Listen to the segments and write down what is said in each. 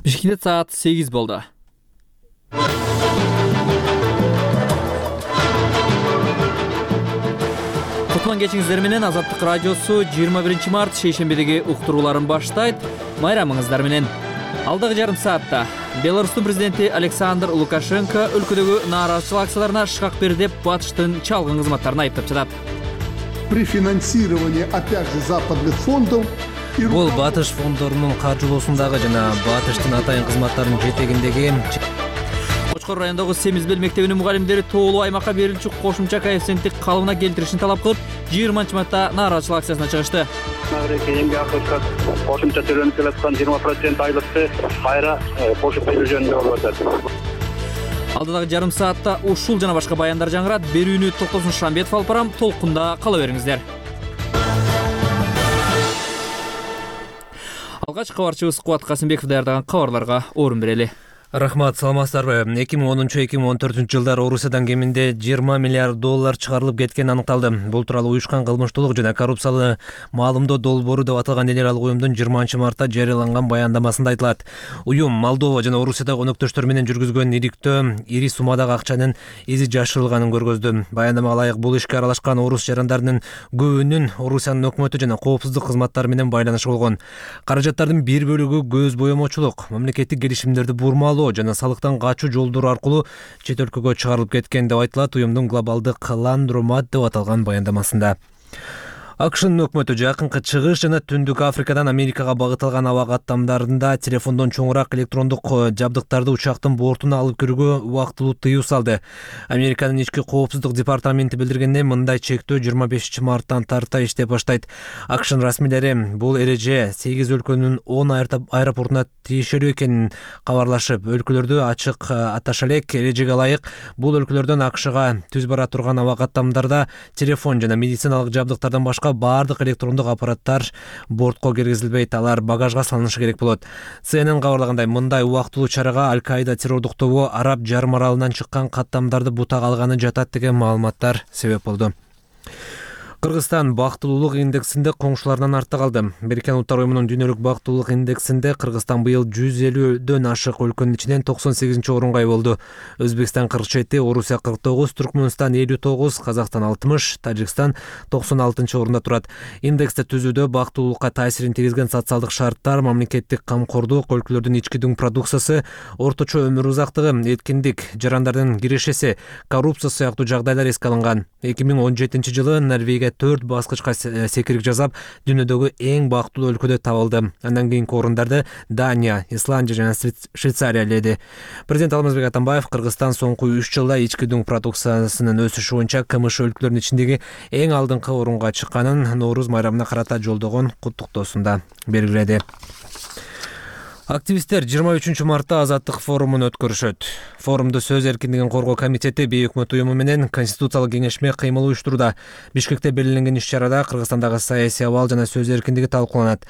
Бишкекте саат 8 болду. Кутман кечиңиздер менен Азаттык радиосу 21 март шейшембедеги уктурууларын баштайт. Майрамыңыздар менен. Алдагы жарым саатта Беларустун президенти Александр Лукашенко өлкөдөгү нааразычылык акцияларына шкак берди деп батыштын чалгын кызматтарын айыптап жатат. При финансировании опять же западных фондов. Бул батыш фондорунун каржылоосундагы жана батыштын атайын кызматтарынын жетегиндеги Кочкор районундагы Семизбел мектебинин мугалимдери тоолуу аймакка берилчү кошумча коэффициентти калыбына келтиришин талап кылып, 20-мартта нааразычылык акциясына чыгышты. Эмгек акысы кошумча төлөнүп келаткан 20% айлыкты кайра кошуп берүү жөнүндө болуп атат. Алдыдагы жарым саатта ушул жана башка баяндар жаңырат. Берүүнү Токтосун Шамбетов алып барам. Толкунда кала бериңиздер. Алгач кабарчыбыз Кубат Касымбеков даярдаган кабарларга орун берели. Рахмат, саламатсыздарбы? 2013-2014 жылдары Орусиядан кеминде 20 миллиард доллар чыгарылып кеткени аныкталды. Бул тууралуу уюшкан кылмыштуулук жана коррупциялы маалымдоо долбоору деп аталган эл аралык уюмдун 20-мартта жарыяланган баяндамасында айтылат. Уюм Молдова жана Орусиядагы өнөктөштөр менен жүргүзгөн ириктөө ири суммадагы акчанын изи жашырылганын көргөздү. Баяндамага ылайык бул ишке аралашкан орус жарандарынын көбүнүн Орусиянын өкмөтү жана коопсуздук кызматтары менен байланышы болгон. Каражаттардын бир бөлүгү көз боемочулук, мамлекеттик келишимдерди бурмалоо жана салыктан качуу жолдору аркылуу чет өлкөгө чыгарылып кеткен деп айтылат уюмдун глобалдык ландромат деп аталган баяндамасында. АКШнын өкмөтү жакынкы чыгыш жана Түндүк Африкадан Америкага багытталган аба каттамдарында телефондон чоңураак электрондук жабдыктарды учактын бортуна алып кирүүгө убактылуу тыюу салды. Американын ички коопсуздук департаменти билдиргендей, мындай чектөө 25 марттан тарта иштеп баштайт. АКШнын расмийлери бул эреже 8 өлкөнүн 10 аэропортуна тиешелүү экенин кабарлашып, өлкөлөрдү ачык аташа элек. Эрежеге ылайык бул өлкөлөрдөн АКШга түз бара турган аба каттамдарда телефон жана медициналык жабдыктардан башка баардык электрондук аппараттар бортко киргизилбейт, алар багажга салынышы керек болот. CNN кабарлагандай, мындай убактылуу чарага Аль-Каида террордук тобу Араб жарым аралынан чыккан каттамдарды бутак алганы жатат деген маалыматтар себеп болду. Кыргызстан бактылуулук индексинде коңшуларынан артта калды. Бириккен Улуттар уюмунун дүйнөлүк бактылуулук индексинде Кыргызстан быйыл 150дөн ашык өлкөнүн ичинен 98-орунга ие болду. Өзбекстан 47, Орусия 49, Түркмөнстан 59, Казакстан 60, Тажикстан 96-орунда турат. Индексти түзүүдө бактылуулукка таасирин тийгизген социалдык шарттар, мамлекеттик камкордук, өлкөлөрдүн ички дүң продукциясы, орточо өмүр узактыгы, эткиндик, жарандардын кирешеси, коррупция сыяктуу жагдайлар эске алынган. 2017-жылы Норвегия 4 баскычка секирик жасап, дүйнөдөгү эң бактылуу өлкөдө табылды. Андан кийинки орундарда Дания, Исландия жана Швейцария ээледи. Президент Алмазбек Атамбаев Кыргызстан соңку 3 жылда ички дүң продукциясынын өсүшү боюнча КМШ өлкөлөрүнүн ичиндеги эң алдыңкы орунга чыкканын Нооруз майрамына карата жолдогон куттуктоосунда белгиледи. Активисттер 23 мартта Азаттык форумун өткөрүшөт. Форумду сөз эркиндигин коргоо комитети бейөкмөт уюму менен конституциялык кеңешме кыймыл уюштурууда. Бишкекте белгиленген иш-чарада Кыргызстандагы саясий абал жана сөз эркиндиги талкууланат.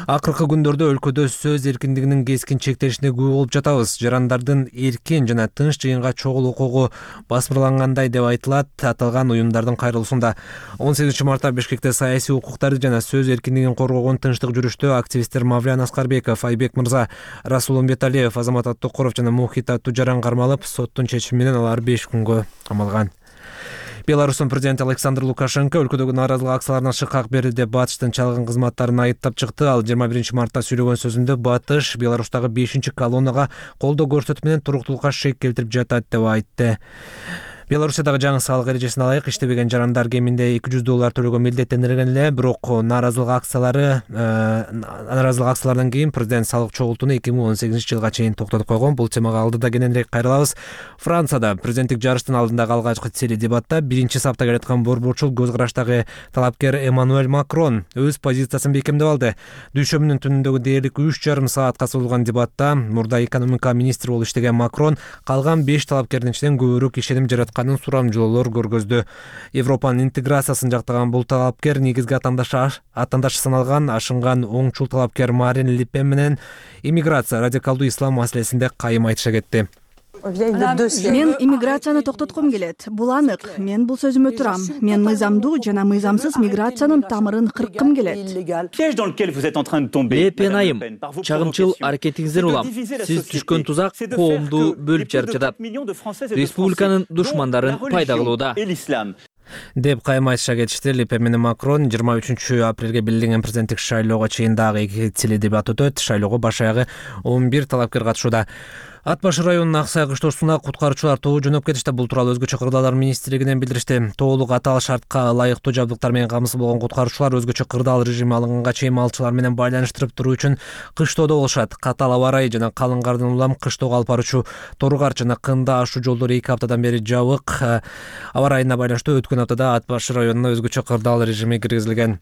Акыркы күндөрдө өлкөдө сөз эркиндигинин кескин чектелишине күбө болуп жатабыз. Жарандардын эркин жана тынч жыйынга чогулуу укугу басмырлангандай деп айтылат аталган уюмдардын кайрылуусунда. 18 мартта Бишкекте саясий укуктарды жана сөз эркиндигин коргогон тынчтык жүрүштө активисттер Мавлян Аскарбеков, Айбек Мырза, Расул Умбеталиев, Азамат Аттокуров жана Мухит Аттужаран кармалып, соттун чечими менен алар 5 күнгө камалган. Беларустун президенти Александр Лукашенко өлкөдөгү нааразылык акцияларына шыкак берди деп батыштын чалгын кызматтарын айыптап чыкты. Ал 21 мартта сүйлөгөн сөзүндө батыш Беларустагы 5-колоннага колдоо көрсөтүп менен туруктуулукка шек келтирип жатат деп айтты. Беларусиядагы жаңы салык эрежесине ылайык иштебеген жарандар кеминде $200 төлөөгө милдеттенилген эле, бирок нааразылык акциялардан кийин президент салык чогултууну 2018-жылга чейин токтотуп койгон. Бул темага алдыда кененирээк кайрылабыз. Францияда президенттик жарыштын алдындагы алгачкы теледебатта биринчи сапта келаткан борборчул көз караштагы талапкер Эммануэль Макрон өз позициясын бекемдеп алды. Дүйшөмүнүн түнүндөгү дээрлик 3,5 саатка созулган дебатта мурда экономика министри болуп иштеген Макрон калган 5 талапкердин ичинен көбүрөөк ишеним жаратканын сурамжылоолор көргөздү. Европанын интеграциясын жактаган бул талапкер негизги атандашы саналган ашынган оңчул талапкер Марин Ле Пен менен иммиграция, радикалдуу ислам маселесинде кайым айтыша кетти. Мен иммиграцияны токтоткум келет. Бул анык. Мен бул сөзүмө турам. Мен мыйзамдуу жана мыйзамсыз миграциянын тамырын кырккым келет. Лепен айым, чагымчыл аракетиңизден улам. Сиз түшкөн тузак коомду бөлүп жарып жатат. Республиканын душмандарын пайда кылууда. деп кайым айтышка кетишти. Ле Пен менен Макрон 23 апрелге белгиленген президенттик шайлоого чейин дагы 2 тили дебат өтөт. Шайлоого баш аягы 11 талапкер катышууда. Ат башы районунун Аксай кыштоосуна куткаруучулар тобу жөнөп кетишти. Бул тууралуу өзгөчө кырдаалдар министрлигинен билдиришти. Тоолук атал шартка ылайыктуу жабдыктар менен камсыз болгон куткаруучулар өзгөчө кырдаал режими алынганга чейин малчылар менен байланыштырып туруу үчүн кыштоодо болушат. Катал аба ырайы жана калың кардан улам кыштоого алып баруучу Торгар жана Кында ашуу жолдору 2 аптадан бери жабык. Аба ырайына байланыштуу өткөн аптада Ат башы районуна өзгөчө кырдаал режими киргизилген.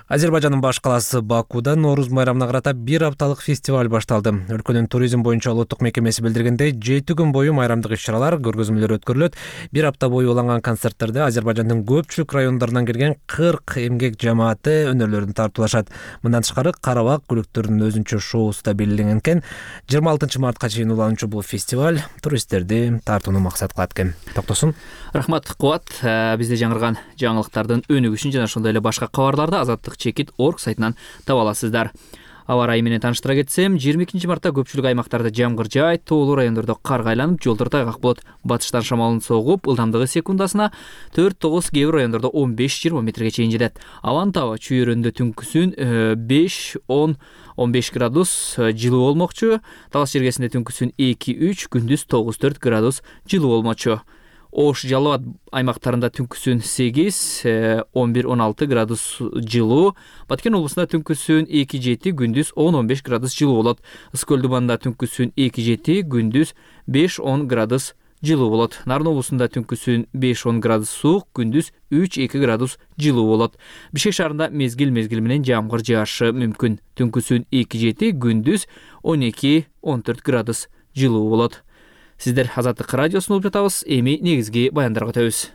Азербайжандын баш калаасы Бакуда Нооруз майрамына карата 1 апталык фестиваль башталды. Өлкөнүн туризм боюнча улуттук мекемеси билдиргендей, 7 күн бою майрамдык иш-чаралар, көргөзмөлөр өткөрүлөт. 1 апта бою уланган концерттерде Азербайжандын көпчүлүк райондорунан келген 40 эмгек жамааты өнөрлөрүн тартуулашат. Мындан тышкары Карабак күлүктөрүнүн өзүнчө шоусу да белгиленген экен. 26 мартка чейин улануучу бул фестиваль туристтерди тартууну максат кылат экен. Токтосун. Рахмат Кубат. Бизде жаңырган жаңылыктардын өнүгүшүн жана ошондой эле башка кабарларды azatlyk.org сайтынан таба аласыздар. Аба ырайы менен тааныштыра кетсем, 22 мартта көпчүлүк аймактарда жамгыр жаайт, тоолуу райондордо карга айланып, жолдор тайгак болот. Батыштан шамалын согуп, ылдамдыгы секундасына 4-9, кээ бир райондордо 15-20 метрге чейин жетет. Абанын табы чүйөрөндө түнкүсүн 5-10-15 градус жылуу болмокчу. Талас жергесинде түнкүсүн 2-3, күндүз 9-4 градус жылуу болмокчу. Ош, Жалал Абад аймактарында түнкүсүн 8-11-16 градус жылуу. Баткен облусунда түнкүсүн 2-7, күндүз 10-15 градус жылуу болот. Ысык Көлдүбанда түнкүсүн 2-7, күндүз 5-10 градус жылуу болот. Нарын облусунда түнкүсүн 5-10 градус суук, күндүз 3-2 градус жылуу болот. Бишкек шаарында мезгил менен жамгыр жаашы мүмкүн. Түнкүсүн 2-7, күндүз 12-14 градус жылуу болот. Сиздер Азаттык радиосун угуп жатабыз. Эми негизги баяндарга өтөбүз.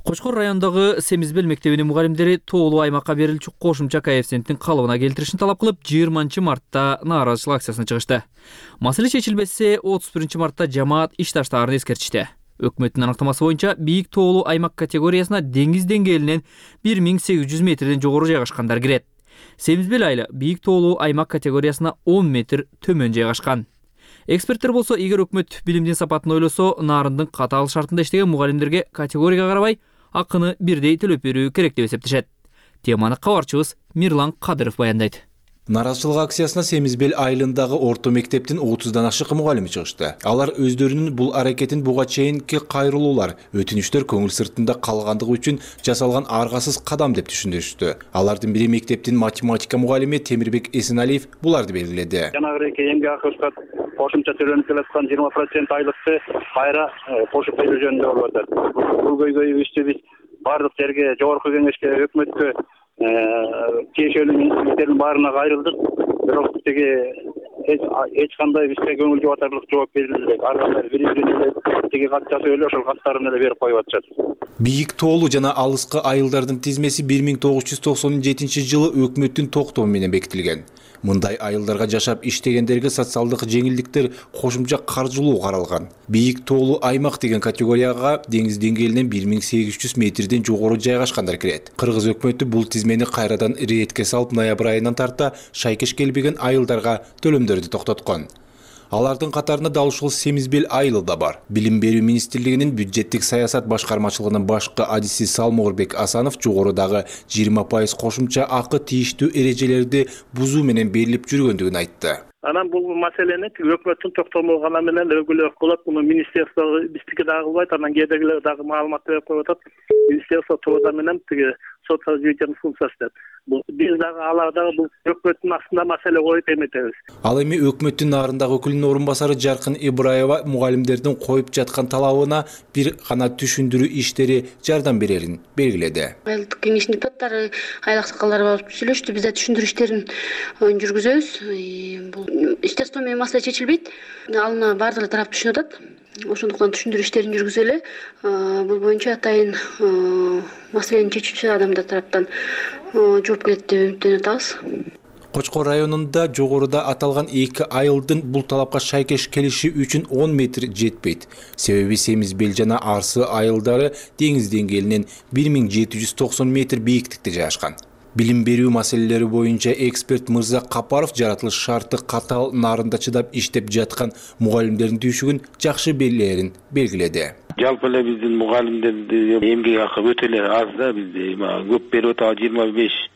Кочкор райондогу Семизбел мектебинин мугалимдери тоолуу аймакка берилчү кошумча коэффициенттин калыбына келтиришин талап кылып, 20 мартта нааразычылык акциясына чыгышты. Маселе чечилбесе, 31 мартта жамаат иш таштаарын эскертишти. Өкмөттүн аныктамасы боюнча бийик тоолуу аймак категориясына деңиз деңгээлинен 1800 метрден жогору жайгашкандар кирет. Семизбел айылы бийик тоолуу аймак категориясына 10 метр төмөн жайгашкан. Эксперттер болсо, эгер өкмөт билимдин сапатын ойлосо, нарындын катаал шартында иштеген мугалимдерге категорияга карабай акыны бирдей төлөп берүү керек деп эсептешет. Теманы кабарчыбыз Мирлан Кадыров баяндайт. Наразычылык акциясына Семизбел айылындагы орто мектептин 30дан ашык мугалими чыгышты. Алар өздөрүнүн бул аракетин буга чейинки кайрылуулар, өтүнүчтөр көңүл сыртында калгандыгы үчүн жасалган аргасыз кадам деп түшүндүрүштү. Алардын бири мектептин математика мугалими Темирбек Эсеналиев буларды белгиледи. Жанагы эмгек акысына кошумча төлөнүп келаткан 20% айлыкты кайра кошуп берүү жөнүндө болуп атат. Бул көйгөйүбүздү биз бардык жерге, жогорку кеңешке, өкмөткө, тиешелүү министрликтердин баарына кайрылдык. Бирок тиги эч кандай бизге көңүл жубатарлык жооп берилбейт. Ар кандай бир-бирине тиги кат жазып эле ошол каттарын эле берип коюп атышат. Бийик тоолуу жана алыскы айылдардын тизмеси 1997 жылы өкмөттүн токтому менен бекитилген. Мындай айылдарга жашап иштегендерге социалдык жеңилдиктер, кошумча каржылоо каралган. Бийик тоолуу аймак деген категорияга деңиз деңгээлинен 1800 метрден жогору жайгашкандар кирет. Кыргыз өкмөтү бул тизмени кайрадан иретке салып, ноябрь айынан тарта шайкеш келбеген айылдарга төлөмдөрдү токтоткон. Алардын катарында дал ушул Семизбел айылы да бар. Билим берүү министрлигинин бюджеттик саясат башкармачылыгынын башкы адиси Салморбек Асанов жогорудагы 20% кошумча акы тийиштүү эрежелерди бузуу менен берилип жүргөндүгүн айтты. Анан бул маселени өкмөттүн токтому гана менен өгүлөк болот. Муну министерство биздики дагы кылбайт, анан кээдегилер дагы маалымат берип коюп атат. Министерство труда менен тиги социалдык развитиянын функциясы деп. Биз дагы алар дагы бул өкмөттүн астында маселе коюп эметебиз. Ал эми өкмөттүн нарындагы өкүлүнүн орун басары Жаркын Ибраева мугалимдердин коюп жаткан талабына бир гана түшүндүрүү иштери жардам берерин белгиледи. Айылдык кеңештин депутаттары, айыл аксакалдары болуп сүйлөштү. Биз да түшүндүрүү иштерин жүргүзөбүз. Бул естественно менен маселе чечилбейт. Алына баардык тарап түшүнүп атат. ошондуктан түшүндүрүү иштерин жүргүзөлү. Бул боюнча атайын маселени чечүүчү адамдар тараптан жооп келет деп үмүттөнүп атабыз. Кочкор районунда жогоруда аталган 2 айылдын бул талапка шайкеш келиши үчүн 10 метр жетпейт. Себеби Семиз Бел жана Арсы айылдары деңиз деңгээлинен 1790 метр бийиктикте жайгашкан. Билим берүү маселелери боюнча эксперт Мырза Капаров жаратылыш шарты катаал нарында чыдап иштеп жаткан мугалимдердин түйшүгүн жакшы белгилерин белгиледи. Жалпы эле биздин мугалимдердин эмгек акы өтө эле аз да, бизде көп берип атабыз,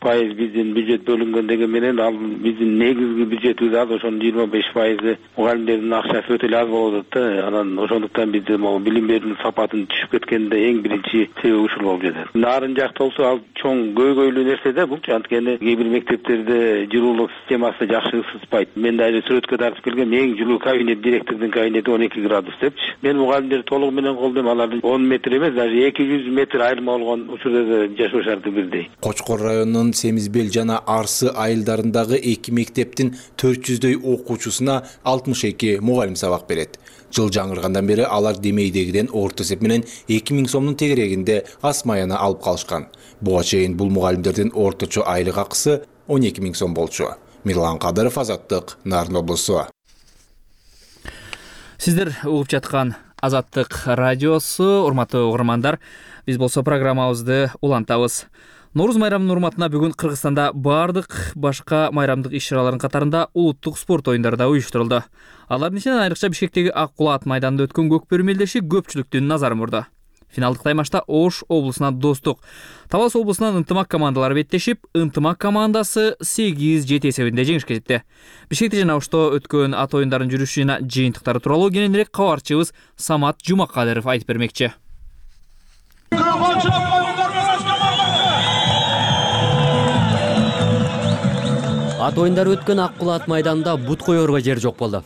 25% биздин бюджет бөлүнгөн деген менен ал биздин негизги бюджетибиз аз, ошонун 25% мугалимдердин акчасы өтө эле аз болуп атат да. Анан ошондуктан бизде могу билим берүүнүн сапатын түшүп кеткенде эң биринчи себеп ушул болуп жатат. Нарын жакта болсо ал чоң көйгөйлүү нерсе да, булчу анткени кээ бир мектептерде жылуулук системасы жакшы ысытпайт. Мен дагы сүрөткө тартып келгем, эң жылуу кабинет директордун кабинети 12 градус депчи. Мен мугалимдерди толугу менен алардын 10 метр эмес, даже 200 метр айырма болгон учурда да жашоо шарты бирдей. Кочкор районунун Семиз Бел жана Арсы айылдарындагы 2 мектептин 400дөй окуучусуна 62 мугалим сабак берет. Жыл жаңыргандан бери алар демейдегиден орто эсеп менен 2000 сомдун тегерегинде асмаяна алып калышкан. Буга чейин бул мугалимдердин орточо айлык акысы 12 000 сом болчу. Мирлан Кадыров, Азаттык, Нарын облусу. Сиздер угуп жаткан Азаттык радиосу, урматтуу угармандар. Биз болсо программабызды улантабыз. Нооруз майрамынын урматына бүгүн Кыргызстанда бардык башка майрамдык иш-чаралардын катарында улуттук спорт оюндары да уюштурулду. Алардын ичинен айрыкча Бишкектеги Ак Кулат майданында өткөн көкбөрү мелдеши көпчүлүктүн назарын бурду. Финалдык таймашта Ош облусунан Достук, Талас облусунан Ынтымак командалары беттешип, Ынтымак командасы 8-7 эсебинде жеңишке жетти. Бишкекте жана Ошто өткөн ат оюндарын жүрүшү жана жыйынтыктары тууралуу кененирээк кабарчыбыз Самат Жумакадыров айтып бермекчи. Ат оюндары өткөн Ак Кулат майданында бут коерго жер жок болду.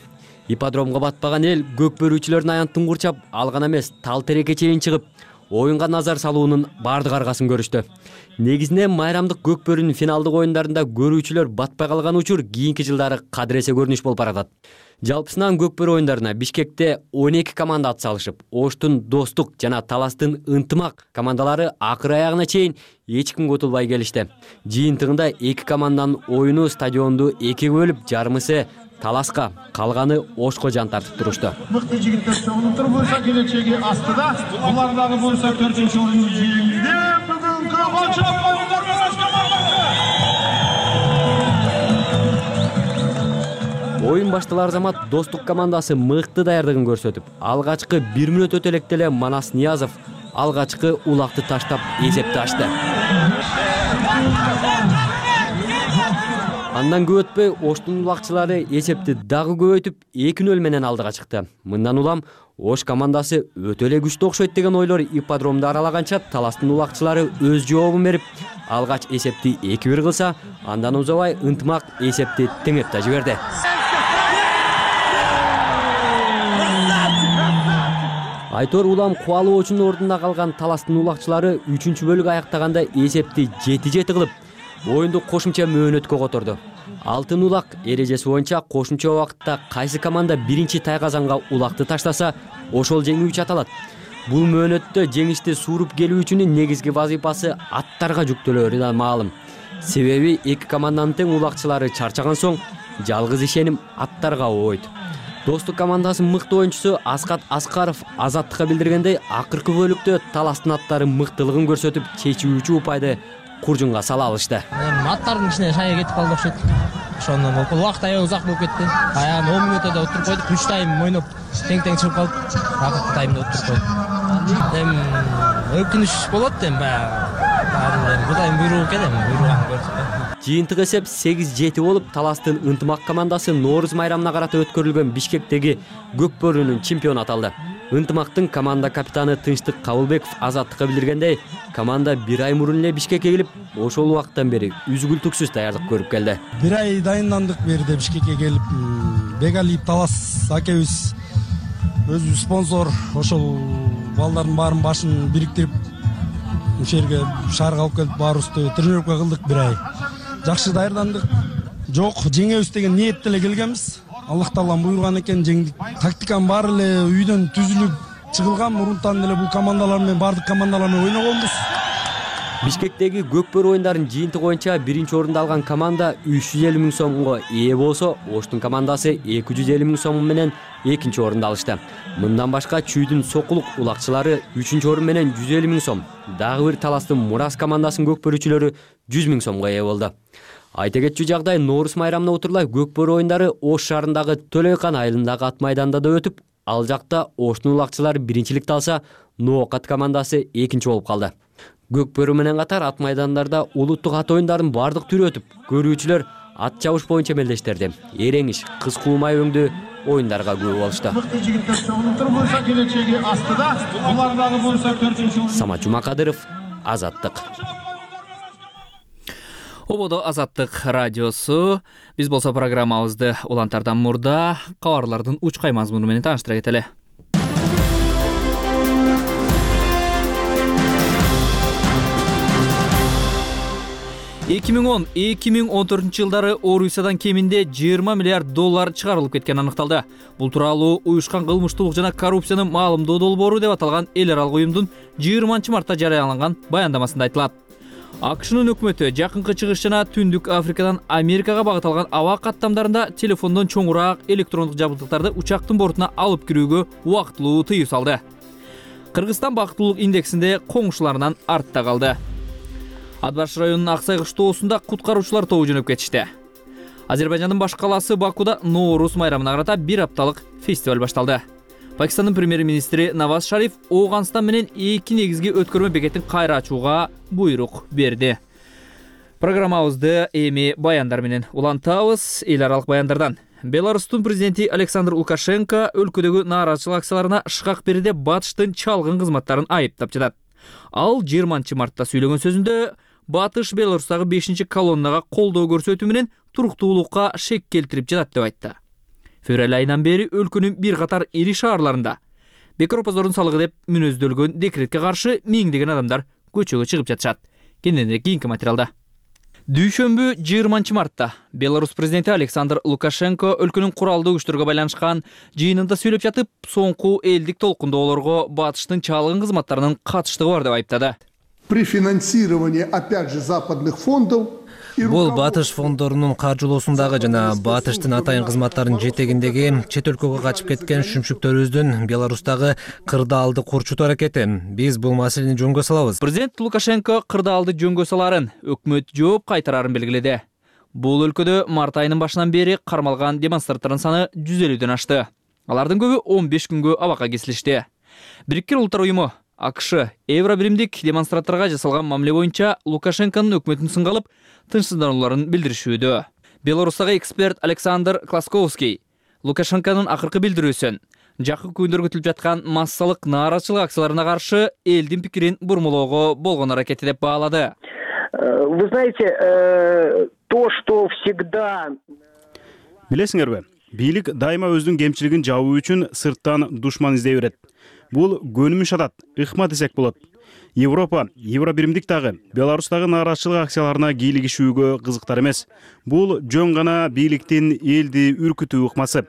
Ипподромго батпаган эл көкбөрүүчүлөрдүн аянтын курчап, ал гана эмес, тал тереке чейин чыгып, оюнга назар салуунун бардык аргасын көрүштү. Негизинен майрамдык көкбөрүнүн финалдык оюндарында көрүүчүлөр батпай калган учур кийинки жылдары кадыресе көрүнүш болуп баратат. Жалпысынан көкбөрү оюндарына Бишкекте 12 команда ат салышып, Оштун Достук жана Таластын Ынтымак командалары акыр аягына чейин эч кимге утулбай келишти. Жыйынтыгында 2 команданын оюну стадионду 2-ге бөлүп, жарымысы Таласка, калганы Ошко жан тартып турушту. Мыкты жигиттер чогулуп болсо келечеги астыда, булар дагы болсо 4-орунду жеңди. Бүгүнкү башка оюндар Оюн башталар замат Достук командасы мыкты даярдыгын көрсөтүп, алгачкы 1 мүнөт өтө элек деле Манас Ниязов алгачкы улакты таштап эсепти ачты. Андан көп өтпөй Оштун улакчылары эсепти дагы көбөйтүп 2-0 менен алдыга чыкты. Мындан улам Ош командасы өтө эле күчтүү окшойт деген ойлор ипподромду аралаганча Таластын улакчылары өз жообун берип, алгач эсепти 2-1 кылса, андан узабай Ынтымак эсепти теңеп да жиберди. Айтор улам кубалоочунун ордунда калган Таластын улакчылары 3-бөлүк аяктаганда эсепти 7-7 кылып, оюнду кошумча мөөнөткө которду. Алтын улак эрежеси боюнча кошумча убакытта кайсы команда биринчи тайгазанга улакты таштаса, ошол жеңүүчү аталат. Бул мөөнөттө жеңишти сууруп келүүчүнүн негизги вазифасы аттарга жүктөлөөрү да маалым. Себеби 2 команданын тең улакчылары чарчаган соң, жалгыз ишеним аттарга ойт. Достук командасынын мыкты оюнчусу Аскат Аскаров Азаттыкка билдиргендей, акыркы бөлүктө Таластын аттары мыктылыгын көрсөтүп, чечүүчү упайды куржунга сала алышты. Аттардын ичине шая кетип калды окшойт. Ошондон убакыт аябай узак болуп кетти. Аягын 10 мүнөттө отуруп койдук. 3 тайм ойноп, тең-тең чыгып калып, акыркы таймда отуруп койдук. Өкүнүч болот эми баягы. Кудайдын буйругу экен эми, буйругун көрсөт. Жыйынтык эсеп 8-7 болуп, Таластын Ынтымак командасы Нооруз майрамына карата өткөрүлгөн Бишкектеги көкбөрүнүн чемпиону аталды. Ынтымактын команда капитаны Тынчтык Кабылбеков Азаттыкка билдиргендей, команда 1 ай мурун эле Бишкекке келип, ошол убакыттан бери үзгүлтүксүз даярдык көрүп келди. 1 ай дайындандык берди Бишкекке келип. Бегалиев Талас акебиз өзүбүз спонсор, ошол балдардын баарын башын бириктирип, ушул жерге шаарга алып келип, баарыбызды тренировка кылдык 1 ай. Жакшы даярдандык. Жок, жеңебиз деген ниетте эле келгенбиз. Аллах Таалам буйруган экен, жеңдик. Тактиканын баары эле үйдөн түзүлүп чыгылган. Мурунтан эле бул командалар менен, бардык командалар менен ойногонбуз. Бишкектеги көкбөрү оюндарынын жыйынтыгы боюнча биринчи орунду алган команда 350 миң сомго ээ болсо, Оштун командасы 250 миң сом менен экинчи орунду алышты. Мындан башка Чүйдүн Сокулук улакчылары 3-чү орун менен 150 миң сом, дагы бир Таластын Мурас командасынын көкбөрүчүлөрү 100 миң сомго ээ болду. Айта кетчү жагдай, Нооруз майрамына отурлай көкбөрү оюндары Ош шаарындагы Төлөйкан айылындагы ат майданда да өтүп, ал жакта Оштун улакчылары биринчиликти алса, Ноокат командасы экинчи болуп калды. Көкбөрү менен катар ат майдандарда улуттук ат оюндарынын бардык түрү өтүп, көрүүчүлөр ат чабыш боюнча мелдештерди. Эреңиш, кыз куумай өңдүү оюндарга күбө болушту. Самат Жумакадыров, Азаттык. Ободо Азаттык радиосу. Биз болсо программабызды улантардан мурда кабарлардын учкай мазмуну менен тааныштыра кетели. 2010-2014 жылдары Орусиядан кеминде 20 миллиард доллар чыгарылып кеткени аныкталды. Бул тууралуу уюшкан кылмыштуулук жана коррупцияны маалымдоо долбоору деп аталган эл аралык уюмдун 20-мартта жарыяланган баяндамасында айтылат. АКШнын өкмөтү жакынкы чыгыш жана Түндүк Африкадан Америкага багыт алган аба каттамдарында телефондон чоңураак электрондук жабдыктарды учактын бортуна алып кирүүгө убактылуу тыюу салды. Кыргызстан бактылуулук индексинде коңшуларынан артта калды. Атбаш районунун Аксай кыштоосунда куткаруучулар тобу жөнөп кетишти. Азербайжандын баш калаасы Бакуда Нооруз майрамына карата бир апталык фестиваль башталды. Пакистандын премьер-министри Наваз Шариф Ооганстан менен эки негизги өткөрмө бекетин кайра ачууга буйрук берди. Программабызды эми баяндар менен улантабыз. Эл аралык баяндардан. Беларустун президенти Александр Лукашенко өлкөдөгү нааразычылык акцияларына шыкак берди деп Батыштын чалгын кызматтарын айыптап жатат. Ал 20-мартта сүйлөгөн сөзүндө Батыш Беларустагы 5-колоннага колдоо көрсөтүү менен туруктуулукка шек келтирип жатат деп айтты. Февраль айынан бери өлкөнүн бир катар ири шаарларында бекор позордун салыгы деп мүнөздөлгөн декретке каршы миңдеген адамдар көчөгө чыгып жатышат. Кененирээк кийинки материалда. Дүйшөмбү 20-мартта Беларусь президенти Александр Лукашенко өлкөнүн куралдуу күчтөргө байланышкан жыйынында сүйлөп жатып, соңку элдик толкундоолорго Батыштын чалгын кызматтарынын катыштыгы бар деп айыптады. При финансировании, опять же, западных фондов. Бул Батыш фондорунун каржылоосундагы жана Батыштын атайын кызматтарынын жетегиндеги чет өлкөгө качып кеткен шүмшүктөрүбүздүн Беларустагы кырдаалды курчутуу аракети. Биз бул маселени жөнгө салабыз. Президент Лукашенко кырдаалды жөнгө саларын, өкмөт жооп кайтарарын белгиледи. Бул өлкөдө март айынын башынан бери кармалган демонстранттардын саны 150дөн ашты. Алардын көбү 15 күнгө абакка кесилишти. Бириккен Улуттар уюму АКШ Евробиримдик демонстранттарга жасалган мамиле боюнча Лукашенконун өкмөтүн сынга алып, тынчсызданууларын билдиришүүдө. Беларустагы эксперт Александр Класковский Лукашенконун акыркы билдирүүсүн жакын күндөр күтүлүп жаткан массалык нааразычылык акцияларына каршы элдин пикирин бурмалоого болгон аракети деп баалады. Вы знаете, то, что всегда... Билесиңерби, бийлик дайыма өзүнүн кемчилигин жабуу үчүн сырттан душман издей берет. Бул көнүмүш адат, ыкма десек болот. Европа, Евробиримдик дагы Беларустагы нааразычылык акцияларына кийлигишүүгө кызыктар эмес. Бул жөн гана бийликтин элди үркүтүү ыкмасы.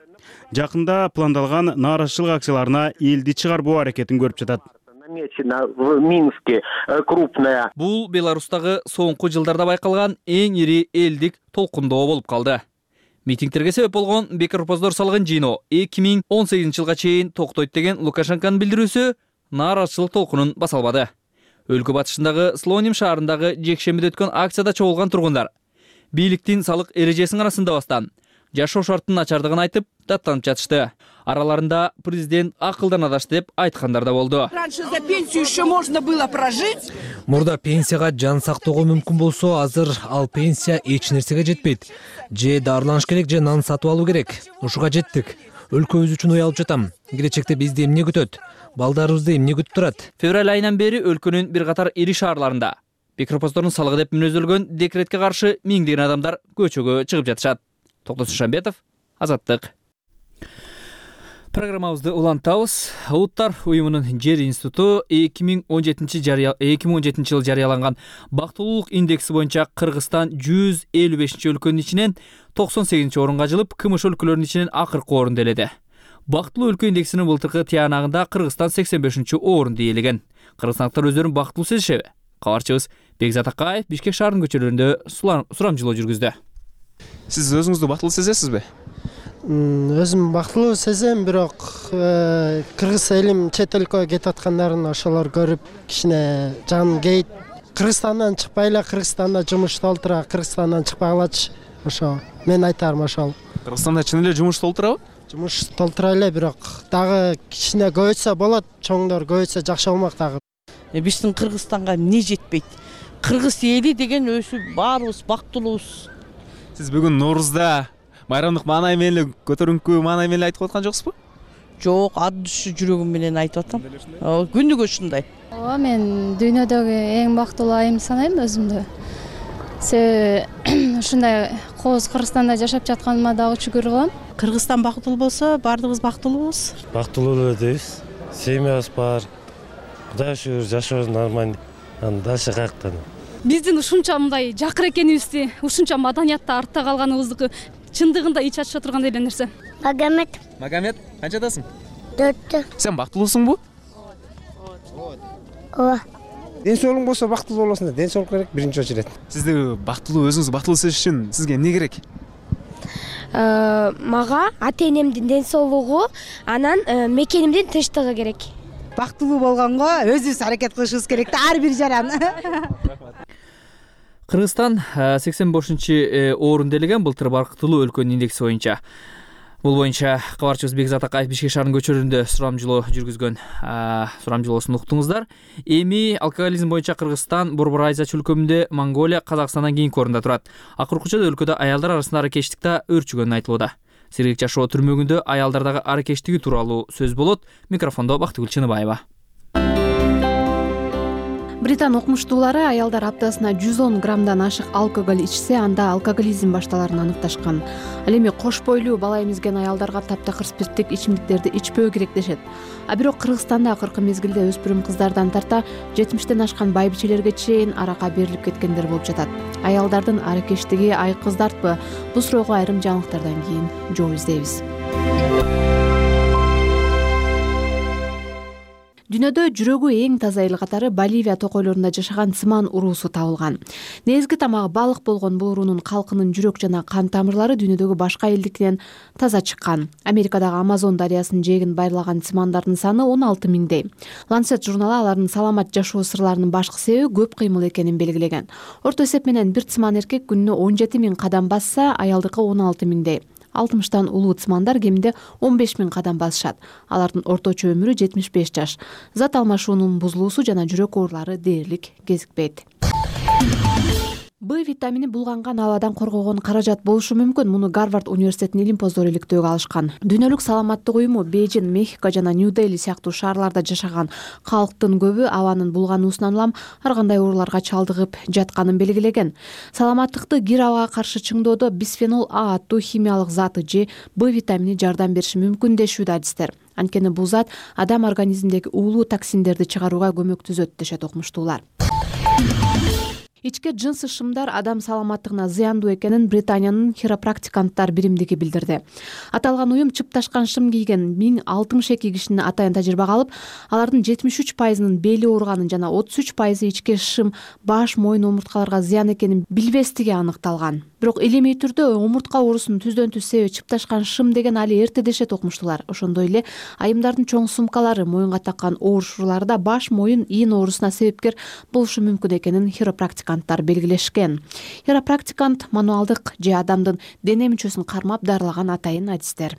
Жакында пландалган нааразычылык акцияларына элди чыгарбоо аракетин көрүп жатат. В Минске крупная. Бул Беларустагы соңку жылдарда байкалган эң ири элдик толкундоо болуп калды. Митингтерге себеп болгон бекор поздор салган жыйноо 2018 жылга чейин токтойт деген Лукашенконун билдирүүсү нааразычылык толкунун баса албады. Өлкө батышындагы Слоним шаарындагы жекшембиде өткөн акцияда чогулган тургундар бийликтин салык эрежесин арасындабастан жашоо шартынын начардыгын айтып, даттанып жатышты. Араларында президент акылдан адашты деп айткандар да болду. Раньше за пенсию еще можно было прожить. Мурда пенсияга жан сактоого мүмкүн болсо, азыр ал пенсия эч нерсеге жетпейт. Же дарыланыш керек, же нан сатып алуу керек. Ушуга жеттик. Өлкөбүз үчүн уялып жатам. Келечекте бизди эмне күтөт? Балдарыбызды эмне күтүп турат? Февраль айынан бери өлкөнүн бир катар ири шаарларында бекропоздордун салыгы деп мүнөздөлгөн декретке каршы миңдеген адамдар көчөгө чыгып жатышат. Токтос Шамбетов, Азаттык. Программабызды улантабыз. Улуттар уюмунун жер институту 2017 жылы жарыяланган бактылуулук индекси боюнча Кыргызстан 155-өлкөнүн ичинен 98-орунга жылып, КМШ өлкөлөрүнүн ичинен акыркы орунду ээледи. Бактылуу өлкө индексинин былтыркы тыянагында Кыргызстан 85-орунду ээлеген. Кыргызстандыктар өздөрүн бактылуу сезишеби? Кабарчыбыз Бекзат Акаев Бишкек шаарынын көчөлөрүндө сурамжылоо жүргүздү. Сиз өзүңүздү бактылуу сезесизби? Өзүм бактылуу сезем, бирок кыргыз элим чет өлкөгө кетип аткандарын ошолор көрүп кичине жаным кейит. Кыргызстандан чыкпай эле Кыргызстанда жумушта олтура, Кыргызстандан чыкпагалачы. Ошо мен айтарым ошол. Кыргызстанда чын эле жумуш толтурабы? Жумуш толтура эле, бирок дагы кичине көбөйтсө болот, чоңдор көбөйтсө жакшы болмок дагы. Биздин Кыргызстанга эмне жетпейт? Кыргыз эли деген өзү баарыбыз бактылуубуз. Сиз бүгүн Ноорузда майрамдык маанай менен көтөрүңкү маанай менен айтып аткан жоксузбу? Жок, ат дүшү жүрөгүм менен айтып атам. Күнүгө ушундай. Ооба, мен дүйнөдөгү эң бактылуу айым санайм өзүмдү. Себеби ушундай кооз Кыргызстанда жашап жатканыма дагы шүгүр кылам. Кыргызстан бактылуу болсо, баардыгыбыз бактылуубуз. Бактылуу эле дейбиз. Семьябыз бар. Кудайга шүгүр, жашообуз нормально. Дальше каяктан? Биздин ушунча мындай жакыр экенибизди, ушунча маданиятта артта калганыбызды чындыгында ич ачыша турган эле нерсе. Магомед, канчадасың? 4. Сен бактылуусуңбу? Ооба. Ден соолугуң болсо бактылуу болосуң да, ден соолук керек биринчи очередь. Сизди бактылуу, өзүңүздү бактылуу сезиш үчүн сизге эмне керек? Мага ата-энемдин ден соолугу, анан мекенимдин тынчтыгы керек. Бактылуу болгонго өзүбүз аракет кылышыбыз керек да, ар бир жаран. Кыргызстан 85-орунду ээлеген былтыр бактылуу өлкөнүн индекси боюнча. Бул боюнча кабарчыбыз Бекзат Акаев Бишкек шаарынын көчөлөрүндө сурамжылоо жүргүзгөн. Сурамжылоосун уктуңуздар. Эми алкоголизм боюнча Кыргызстан Борбор Азия чөлкөмүндө Монголия, Казакстандан кийинки орунда турат. Акыркыча өлкөдө аялдар арасында аракечтикте өрчүгөнү айтылууда. Сергек жашоо түрмөгүндө аялдардагы аракечтиги тууралуу сөз болот. Микрофондо Бактыгүл Чыныбаева. Британ окумуштуулары аялдар аптасына 110 граммдан ашык алкоголь ичсе, анда алкоголизм башталарын аныкташкан. Ал эми кош бойлуу бала эмизген аялдарга таптакыр спирттик ичимдиктерди ичпөө керек дешет. А бирок Кыргызстанда акыркы мезгилде өспүрүм кыздардан тарта 70-тен ашкан байбичелерге чейин аракка берилип кеткендер болуп жатат. Аялдардын аракечтиги айкыздартпы? Бул суроого айрым жаңылыктардан кийин жооп издейбиз. Дүйнөдө жүрөгү эң таза эл катары Боливия токойлорунда жашаган цыман уруусу табылган. Негизги тамагы балык болгон бул уруунун калкынын жүрөк жана кан тамырлары дүйнөдөгү башка элдикинен таза чыккан. Америкадагы Амазон дарыясынын жээгин байырлаган цымандардын саны 16 миңдей. Lancet журналы алардын саламат жашоо сырларынын башкы себеби көп кыймыл экенин белгилеген. Орто эсеп менен бир цыман эркек күнүнө 17 миң кадам басса, аялдыкы 16 миңдей. 60-тан улуу цымандар кеминде 15 миң кадам басышат. Алардын орточо өмүрү 75 жаш. Зат алмашуунун бузулуусу жана жүрөк оорулары дээрлик кезикпейт. Б витамини булганган абадан коргогон каражат болушу мүмкүн. Муну Гарвард университетинин илимпоздору иликтөөгө алышкан. Дүйнөлүк саламаттык уюму Бейжин, Мехико жана Нью-Дели сыяктуу шаарларда жашаган калктын көбү абанын булгануусунан улам ар кандай ооруларга чалдыгып жатканын белгилеген. Саламаттыкты кир абага каршы чыңдоодо бисфенол А аттуу химиялык заты же Б витамини жардам бериши мүмкүн дешүүдө адистер. Анткени бул зат адам организминдеги уулуу токсиндерди чыгарууга көмөктөшөт дешет окумуштуулар. Ичке жынсы шымдар адам саламаттыгына зыяндуу экенин Британиянын хиропрактиканттар биримдиги билдирди. Аталган уюм чыпташкан шым кийген 1062 кишини атайын тажрыйбага алып, алардын 73%-нын бели ооруганын жана 33% ичке шым баш, мойын омурткаларга зыян экенин билбестиги аныкталган. Бирок илимий түрдө омуртка оорусунун түздөн-түз себеби чыпташкан шым деген али эрте дешет окумуштуулар. Ошондой эле айымдардын чоң сумкалары, моюнга таккан оорушуулары да баш, моюн, ийин оорусуна себепкер болушу мүмкүн экенин хиропрактиканттар белгилешкен. Хиропрактикант мануалдык же адамдын дене мүчөсүн кармап дарылаган атайын адистер.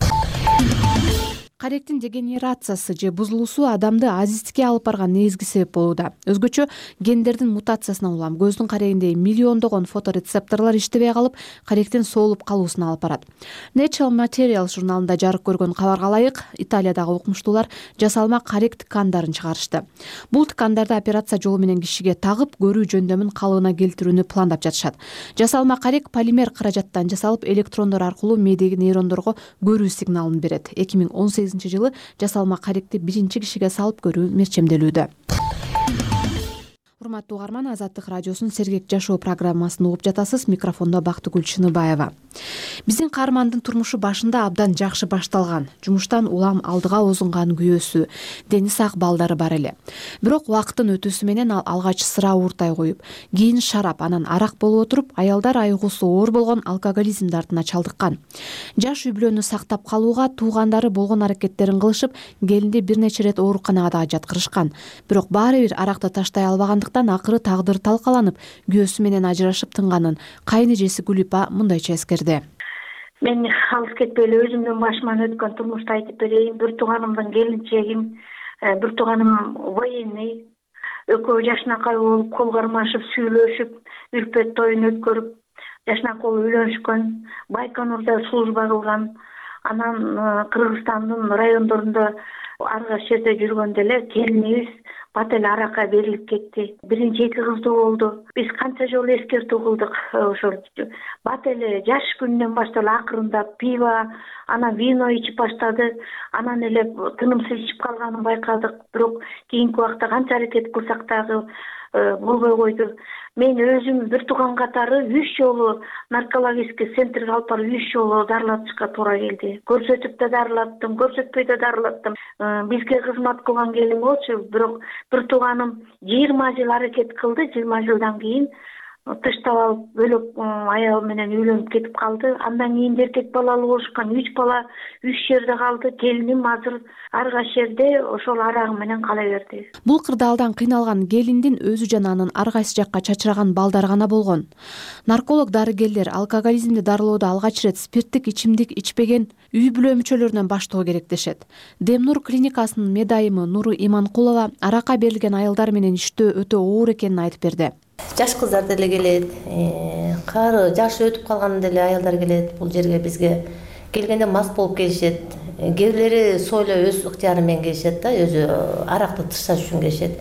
Каректин дегенерациясы же бузулуусу адамды азиздикке алып барган негизги себеп болууда. Өзгөчө гендердин мутациясынан улам көздүн карегиндеги миллиондогон фоторецепторлор иштебей калып, каректин соолуп калуусуна алып барат. Nature Materials журналында жарык көргөн кабарга ылайык, Италиядагы окумуштуулар жасалма карек ткандарын чыгарышты. Бул ткандарды операция жолу менен кишиге тагып, көрүү жөндөмүн калыбына келтирүүнү пландап жатышат. Жасалма карек полимер каражаттан жасалып, электрондор аркылуу мээдеги нейрондорго көрүү сигналын берет. 2018 2018-жылы жасалма каректи биринчи кишиге салып көрүү мерчемделүүдө. Урматтуу угарман, Азаттык радиосунун Сергек жашоо программасын угуп жатасыз. Микрофондо Бактыгүл Чыныбаева. Биздин каармандын турмушу башында абдан жакшы башталган. Жумуштан улам алдыга озунган күйөөсү, дени сак балдары бар эле. Бирок убакыттын өтүүсү менен ал алгач сыра ууртай коюп, кийин шарап, анан арак болуп отуруп, аялдар айыгуусу оор болгон алкоголизм дартына чалдыккан. Жаш үй бүлөнү сактап калууга туугандары болгон аракеттерин кылышып, келинди бир нече ирет ооруканага да жаткырышкан. Бирок баары бир аракты таштай албагандыктан акыры тагдыр талкаланып, күйөөсү менен ажырашып тынганын кайын эжеси Гүлипа мындайча эскерди. Мен алыс кетпей эле өзүмдүн башыман өткөн турмушту айтып берейин. Бир тууганымдын келинчегим, бир тууганым военный, экөө жашнакай болуп, кол кармашып, сүйлөшүп, үлпөт тоюн өткөрүп, жашнакай болуп үйлөнүшкөн, Байконурда служба кылган. Анан Кыргызстандын райондорунда ар кайсы жерде жүргөндө эле келинибиз бат эле аракка берилип кетти. Биринчи 2 кыздуу болду. Биз канча жолу эскертүү кылдык. Ошол бат эле жаш күнүнөн баштап акырындап пиво, анан вино ичип баштады. Анан эле тынымсыз ичип калганын байкадык. Бирок кийинки убакта канча аракет кылсак дагы болбой койду. Мен өзүм бир тууган катары 3 жолу наркологический центрге алып барып 3 жолу дарылатышка туура келди. Көрсөтүп да дарылаттым, көрсөтпөй да дарылаттым. Бизге кызмат кылган келин болчу, бирок бир тууганым 20 жыл аракет кылды. 20 жылдан кийин тыштап алып бөлөк аял менен үйлөнүп кетип калды. Андан кийин эркек балалуу болушкан, 3 бала 3 жерде калды. Келиним азыр ар кайсы жерде ошол арагы менен кала берди. Бул кырдаалдан кыйналган келиндин өзү жана анын ар кайсы жакка чачыраган балдары гана болгон. Нарколог дарыгерлер алкоголизмди дарылоодо алгач ирет спирттик ичимдик ичпеген үй бүлө мүчөлөрүнөн баштоо керек дешет. Демнур клиникасынын медайымы Нуру Иманкулова аракка берилген аялдар менен иштөө өтө оор экенин айтып берди. Жаш кыздар деле келет, кары жашы өтүп калган деле аялдар келет. Бул жерге бизге келгенде мас болуп келишет. Кээ бирлери сойло өз ыктыяры менен келишет да, өзү аракты тышташ үчүн келишет.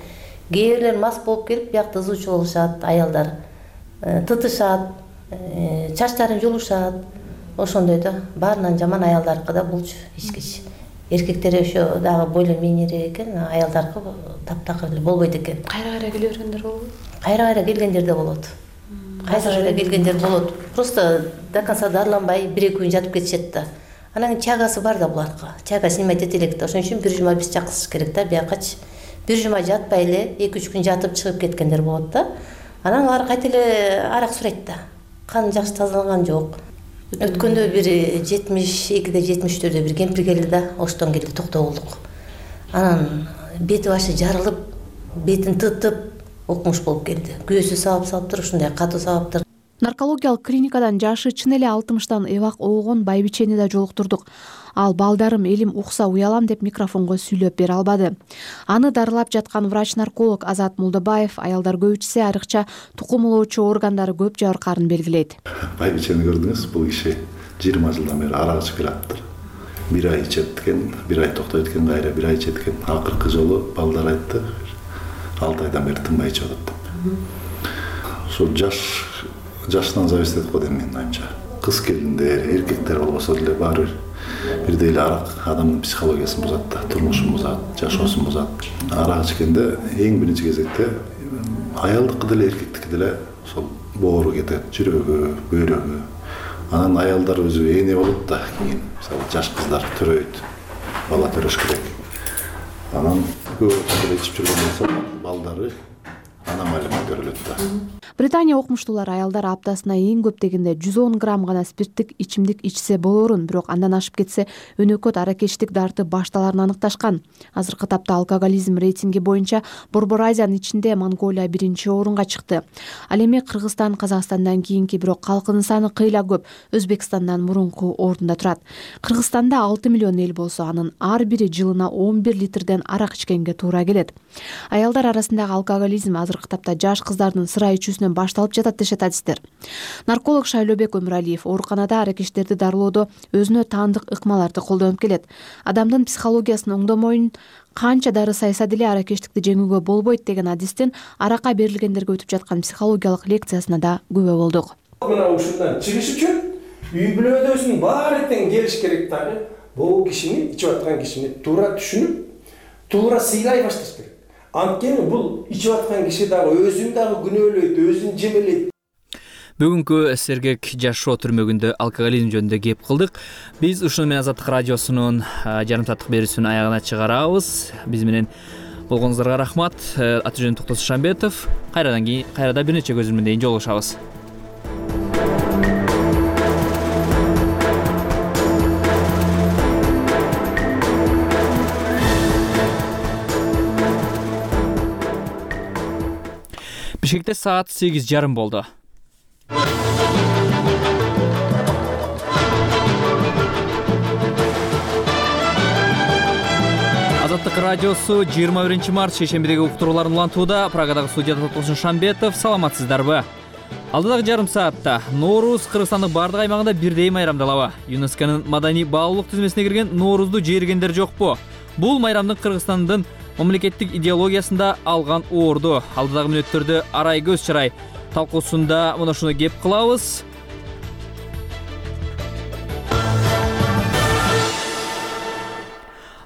Кээ бирлер мас болуп келип, биякта ызуучу болушат, аялдар тытышат, чачтарын жулушат. Ошондой да, баарынан жаман аялдаркы да булчу ичкич. Эркектер ошо дагы бойло мийнерээк экен, аялдаркы таптакыр эле болбойт экен. Кайра-кайра келе бергендер болобу? Кайра-кайра келгендер да болот. Кайра-кайра келгендер болот. Просто до конца дарыланбай 1-2 күн жатып кетишет да. Анан чагасы бар да буларга. Чага снимать эте элек да. Ошон үчүн бир жума биз чакырсыш керек да. Биякачы бир жума жатпай эле 2-3 күн жатып чыгып кеткендер болот да. Анан алар кайта эле арак сурайт да. Кан жакшы тазаланган жок. Өткөндө бир 72-де 73-дө бир кемпир келди да, оштон келди, токтоо болдук. Анан бети башы жарылып, бетин тытып, окмуш болуп келди. Күйөөсү сабап-сабаптыр, ушундай катуу сабаптыр. Наркологиялык клиникадан жашы чын эле 60-тан эбак оогон байбичени да жолуктурдук. Ал балдарым элим укса уялам деп микрофонго сүйлөп бере албады. Аны дарылап жаткан врач-нарколог Азат Молдобаев аялдар көбүчүсү айрыкча тукумулоочу органдары көп жабыркаарын белгилейт. Байбичени көрдүңүз, бул киши 20 жылдан бери арак ичип келаптыр. 1 ай ичет экен, 1 ай токтойт экен, кайра 1 ай ичет экен. Акыркы жолу балдар айтты, 6 айдан бери тынбай ичип атат деп. Ошол жаштан зависит этип коет менин оюмча. Кыз келиндер, эркектер болбосо деле баары бирдей эле арак адамдын психологиясын бузат да, турмушун бузат, жашоосун бузат. Арак ичкенде эң биринчи кезекте аялдыкы деле эркектики деле ошол боору кетет, жүрөгү, бөйрөгү. Анан аялдар өзү эне болот да, кийин мисалы жаш кыздар төрөйт, бала төрөш керек. Анан көп эле ичип жүргөн болсо балдары аномалия көрүлөт да. Британия окумуштуулары аялдар аптасына эң көп дегенде 110 грамм гана спирттик ичимдик ичсе болорун, бирок андан ашып кетсе өнөкөт аракечтик дарты башталарын аныкташкан. Азыркы тапта алкоголизм рейтинги боюнча Борбор Азиянын ичинде Монголия 1-орунга чыкты. Ал эми Кыргызстан Казакстандан кийинки, бирок калкынын саны кыйла көп, Өзбекстандан мурунку орунда турат. Кыргызстанда 6 миллион эл болсо, анын ар бири жылына 11 литрден арак ичкенге туура келет. Аялдар арасындагы алкоголизм азыркы тапта жаш кыздардын сыра ичүүсүнөн башталып жатат дешет адистер. Нарколог Шайлообек Өмүралиев ооруканада аракечтерди дарылоодо өзүнө таандык ыкмаларды колдонуп келет. Адамдын психологиясын оңдомойун канча дары сайса деле аракечтикти жеңүүгө болбойт деген адистин аракка берилгендерге өтүп жаткан психологиялык лекциясына да күбө болдук. Мына ушундан чыгыш үчүн үй бүлөдөгүсүн баары тең келиш керек дагы. бул кишини ичип аткан кишини туура түшүнүп, туура сыйлай башташ керек. Анткени бул ичип аткан киши дагы өзүн дагы күнөөлөйт, өзүн жебелейт. Бүгүнкү Сергек жашоо түрмөгүндө алкоголизм жөнүндө кеп кылдык. Биз ушуну менен Азаттык радиосунун жарым сааттык берүүсүн аягына чыгарабыз. Биз менен болгонуңуздарга рахмат. Аты жөнүм Токтос Шамбетов. Кайрадан бир нече көзүм менен жолугушабыз. Бишкекте саат 8:30 болду. Азаттык радиосу 21 март шейшембидеги уктурууларын улантууда. Прагадагы студияда Токтос Шамбетов. Саламатсыздарбы? Алдыдагы жарым саатта Ноорус Кыргызстандын бардык аймагында бирдей майрамдалабы? ЮНЕСКОнун маданий баалуулук тизмесине кирген Ноорузду жээргендер жокпу? Бул майрамдын Кыргызстандын мамлекеттик идеологиясында алган орду. Алдыдагы мүнөттөрдө арай көз чарай талкуусунда мына ушуну кеп кылабыз.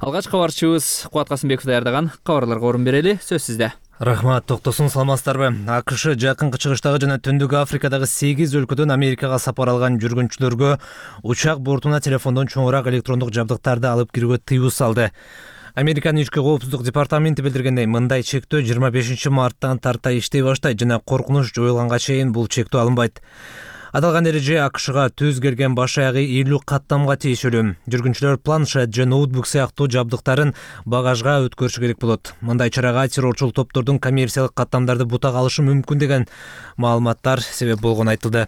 Алгач кабарчыбыз Кубат Касымбеков даярдаган кабарларга орун берели. Сөз сизде. Рахмат, Токтосун, саламатсыздарбы? АКШ жакынкы чыгыштагы жана Түндүк Африкадагы 8 өлкөдөн Америкага сапар алган жүргүнчүлөргө учак бортуна телефондон чоңураак электрондук жабдыктарды алып кирүүгө тыюу салды. Американын ички коопсуздук департаменти билдиргендей, мындай чектөө 25 марттан тарта иштей баштайт жана коркунуч жоюлганга чейин бул чектөө алынбайт. Аталган эреже АКШга түз келген баш аягы 50 каттамга тийишелүү. Жүргүнчүлөр планшет же ноутбук сыяктуу жабдыктарын багажга өткөрүшү керек болот. Мындай чарага террорчул топтордун коммерциялык каттамдарды бутак алышы мүмкүн деген маалыматтар себеп болгону айтылды.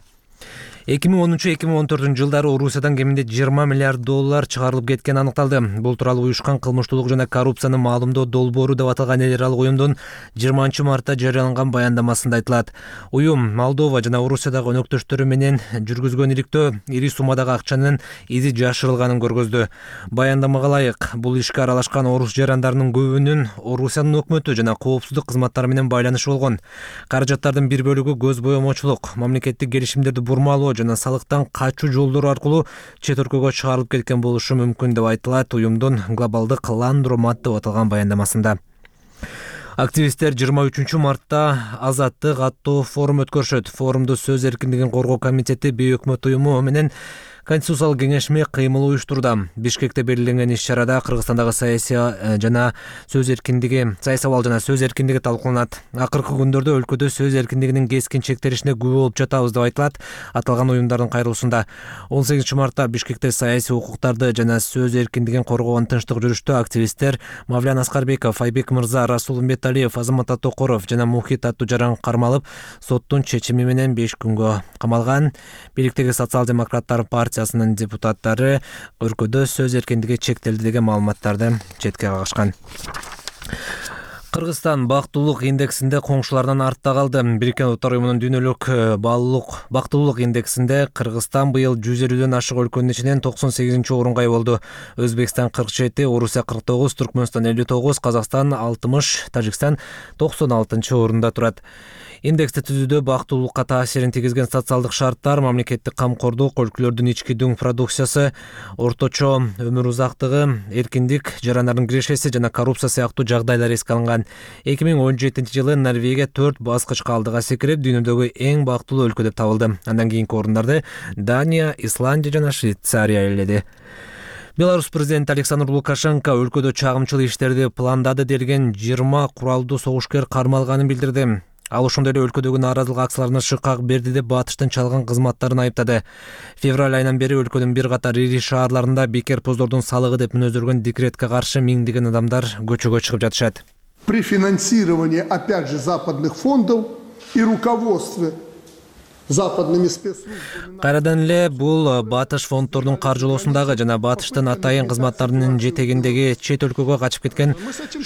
2013-2014 жылдары Орусиядан кеминде 20 миллиард доллар чыгарылып кеткени аныкталды. Бул тууралуу уюшкан кылмыштуулук жана коррупцияны маалымдоо долбоору деп аталган эл аралык уюмдун 20 мартта жарыяланган баяндамасында айтылат. Уюм Молдова жана Орусиядагы өнөктөштөрү менен жүргүзгөн иликтөө ири суммадагы акчанын изи жашырылганын көргөздү. Баяндамага ылайык, бул ишке аралашкан орус жарандарынын көбүнүн Орусиянын өкмөтү жана коопсуздук кызматтары менен байланышы болгон. Каражаттардын бир бөлүгү көз боемочулук, мамлекеттик келишимдерди бурмалоо жана салыктан качуу жолдору аркылуу чет өлкөгө чыгарылып кеткен болушу мүмкүн деп айтылат уюмдун глобалдык ландромат деп аталган баяндамасында. Активисттер 23 мартта Азаттык аттуу форум өткөрүшөт. Форумду Сөз эркиндигин коргоо комитети, бейөкмөт уюму менен Конституциялык кеңешме кыймыл уюштурду. Бишкекте белгиленген иш-чарада Кыргызстандагы саясий жана сөз эркиндиги, саясий жана сөз эркиндиги талкууланат. Акыркы күндөрдө өлкөдө сөз эркиндигинин кескин чектелишине күбө болуп жатабыз деп айтылат аталган уюмдардын кайрылуусунда. 18 мартта Бишкекте саясий укуктарды жана сөз эркиндигин коргогон тынчтык жүрүштө активисттер Мавлян Аскарбеков, Айбек Мырза, Расул Умбеталиев, Азамат Токоров жана Мухит аттуу жаран кармалып, соттун чечими менен 5 күнгө камалган. Бийликтеги социал-демократтар партиясынын депутаттары өлкөдө сөз эркиндиги чектелди деген маалыматтарды четке кагышкан. Кыргызстан бактылуулук индексинде коңшуларынан артта калды. Бириккен Улуттар Уюмунун дүйнөлүк бактылуулук индексинде Кыргызстан быйыл 150дөн ашык өлкөнүн ичинен 98-орунга ээ болду. Өзбекстан 47, Орусия 49, Түркмөнстан 59, Казакстан 60, Тажикстан 96-орунда турат. Индексти түзүүдө бактылуулукка таасирин тийгизген социалдык шарттар, мамлекеттик камкордук, өлкөлөрдүн ички дүң продукциясы, орточо өмүр узактыгы, эркиндик, жарандардын кирешеси жана коррупция сыяктуу жагдайлар эске алынган. 2017-жылы Норвегия 4 баскычка алдыга секирип, дүйнөдөгү эң бактылуу өлкө деп табылды. Андан кийинки орундарды Дания, Исландия жана Швейцария ээледи. Беларусь президенти Александр Лукашенко өлкөдө чагымчыл иштерди пландады делген 20 куралдуу согушкер кармалганын билдирди. Ал ошондой эле өлкөдөгү нааразылык акцияларына шыкак берди деп батыштын чалган кызматтарын айыптады. Февраль айынан бери өлкөнүн бир катар ири шаарларында бекер поздордун салыгы деп мүнөздөлгөн декретке каршы миңдеген адамдар көчөгө чыгып жатышат. При финансировании, опять же, западных фондов и руководстве западными спецслужбами. Кайрадан эле бул батыш фонддордун каржылоосундагы жана батыштын атайын кызматтарынын жетегиндеги чет өлкөгө качып кеткен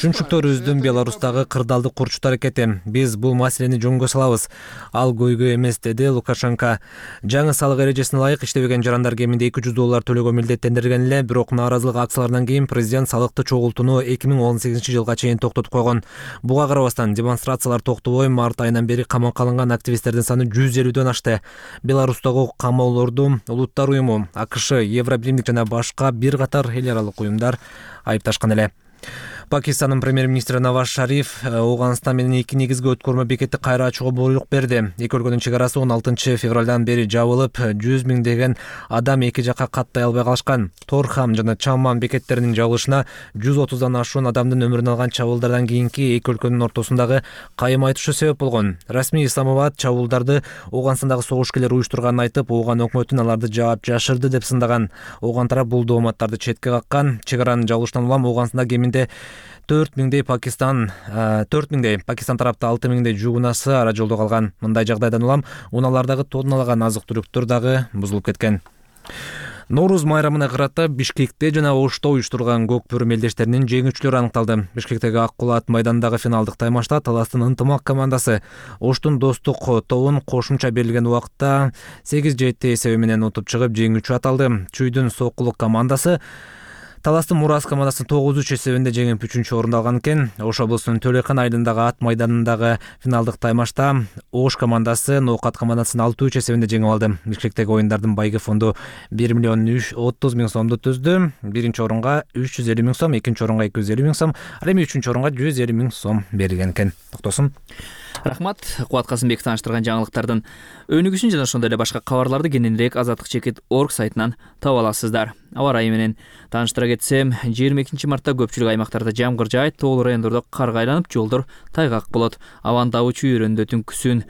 шүнчүктөрүбүздүн Беларустагы кырдаалдык курчу аракети. Биз бул маселени жөнгө салабыз. Ал көйгөй эмес, деди Лукашенко. Жаңы салык эрежесине ылайык иштебеген жарандар кеминде $200 төлөөгө милдеттендирилген эле, бирок нааразылык акцияларынан кийин президент салыкты чогултууну 2018-жылга чейин токтотуп койгон. Буга карабастан демонстрациялар токтобой март айынан бери камакка алынган активисттердин саны 150дөн ашты. Беларустагы камоолорду Улуттар уюму, АКШ, Евробиримдик жана башка бир катар эл аралык уюмдар айыпташкан эле. Пакистандын премьер-министри Наваз Шариф Ооганстан менен эки негизги өткөрмө бекетти кайра ачууга буйрук берди. Эки өлкөнүн чек арасы 16 февралдан бери жабылып, 100 миңдеген адам эки жакка каттай албай калышкан. Торхам жана Чамман бекеттеринин жабылышына 130дан ашуун адамдын өмүрүн алган чабуулдардан кийинки эки өлкөнүн ортосундагы кайым айтышы себеп болгон. Расмий Исламабад чабуулдарды Ооганстандагы согушкерлер уюштурганын айтып, Ооган өкмөтүн аларды жаап жашырды деп сындаган. Ооган тарап бул дооматтарды четке каккан. Чек аранын жабылышынан улам Ооганстанда кеминде 4 миңдей Пакистан тарапта 6 миңдей жугунасы ара жолдо калган. Мындай жагдайдан улам унаалардагы тонналаган азык-түлүктөр дагы бузулуп кеткен. Нооруз майрамына карата Бишкекте жана Ошто уюштурган көк бөрү мелдештеринин жеңүүчүлөрү аныкталды. Бишкектеги Ак Кулат майданындагы финалдык таймашта Таластын Ынтымак командасы Оштун Достук тобун кошумча берилген убакытта 8-7 эсеби менен утуп чыгып жеңүүчү аталды. Чүйдүн Сокулук командасы Таластын Мурас командасын 9-3 эсебинде жеңип 3-чү орунду алган экен. Ош облусунун Төлөйкан айылындагы ат майданындагы финалдык таймашта Ош командасы Ноокат командасын 6-3 эсебинде жеңип алды. Бишкектеги оюндардын байгы фонду 1 миллион 30 миң сомду түздү. Биринчи орунга 350 миң сом, экинчи орунга 250 миң сом, ал эми үчүнчү орунга 150 миң сом берилген экен. Токтосун. Рахмат. Кубат Касымбек тааныштырган жаңылыктардын өнүгүүсүн жана ошондой эле башка кабарларды кененирээк azatlyk.org сайтынан таба аласыздар. Аба ырайы менен тааныштыра кетсем, 22 мартта көпчүлүк аймактарда жамгыр жаайт, тоолуу райондордо карга айланып, жолдор тайгак болот. Абанын табы чүйөрөндө түнкүсүн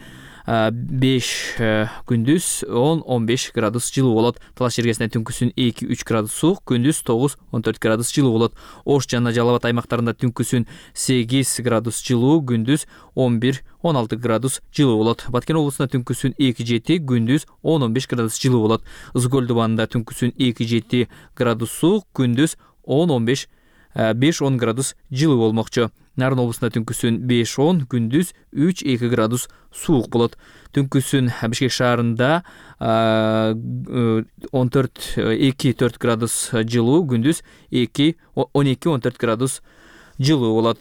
5 күндүз 10-15 градус жылуу болот. Талаш жергесинде түнкүсүн 2-3 градус суук, күндүз 9-14 градус жылуу болот. Ош жана Жалал Абад аймактарында түнкүсүн 8 градус жылуу, күндүз 11-16 градус жылуу болот. Баткен облусунда түнкүсүн 2-7, күндүз 10-15 градус жылуу болот. Ызгөл дубанында түнкүсүн 2-7 градус суук, күндүз 10-15 5-10 градус жылуу болмокчу. Нарын облусунда түнкүсүн 5-10, күндүз 3-2 градус суук болот. Түнкүсүн Бишкек шаарында 2-4 градус жылуу, күндүз 12-14 градус жылуу болот.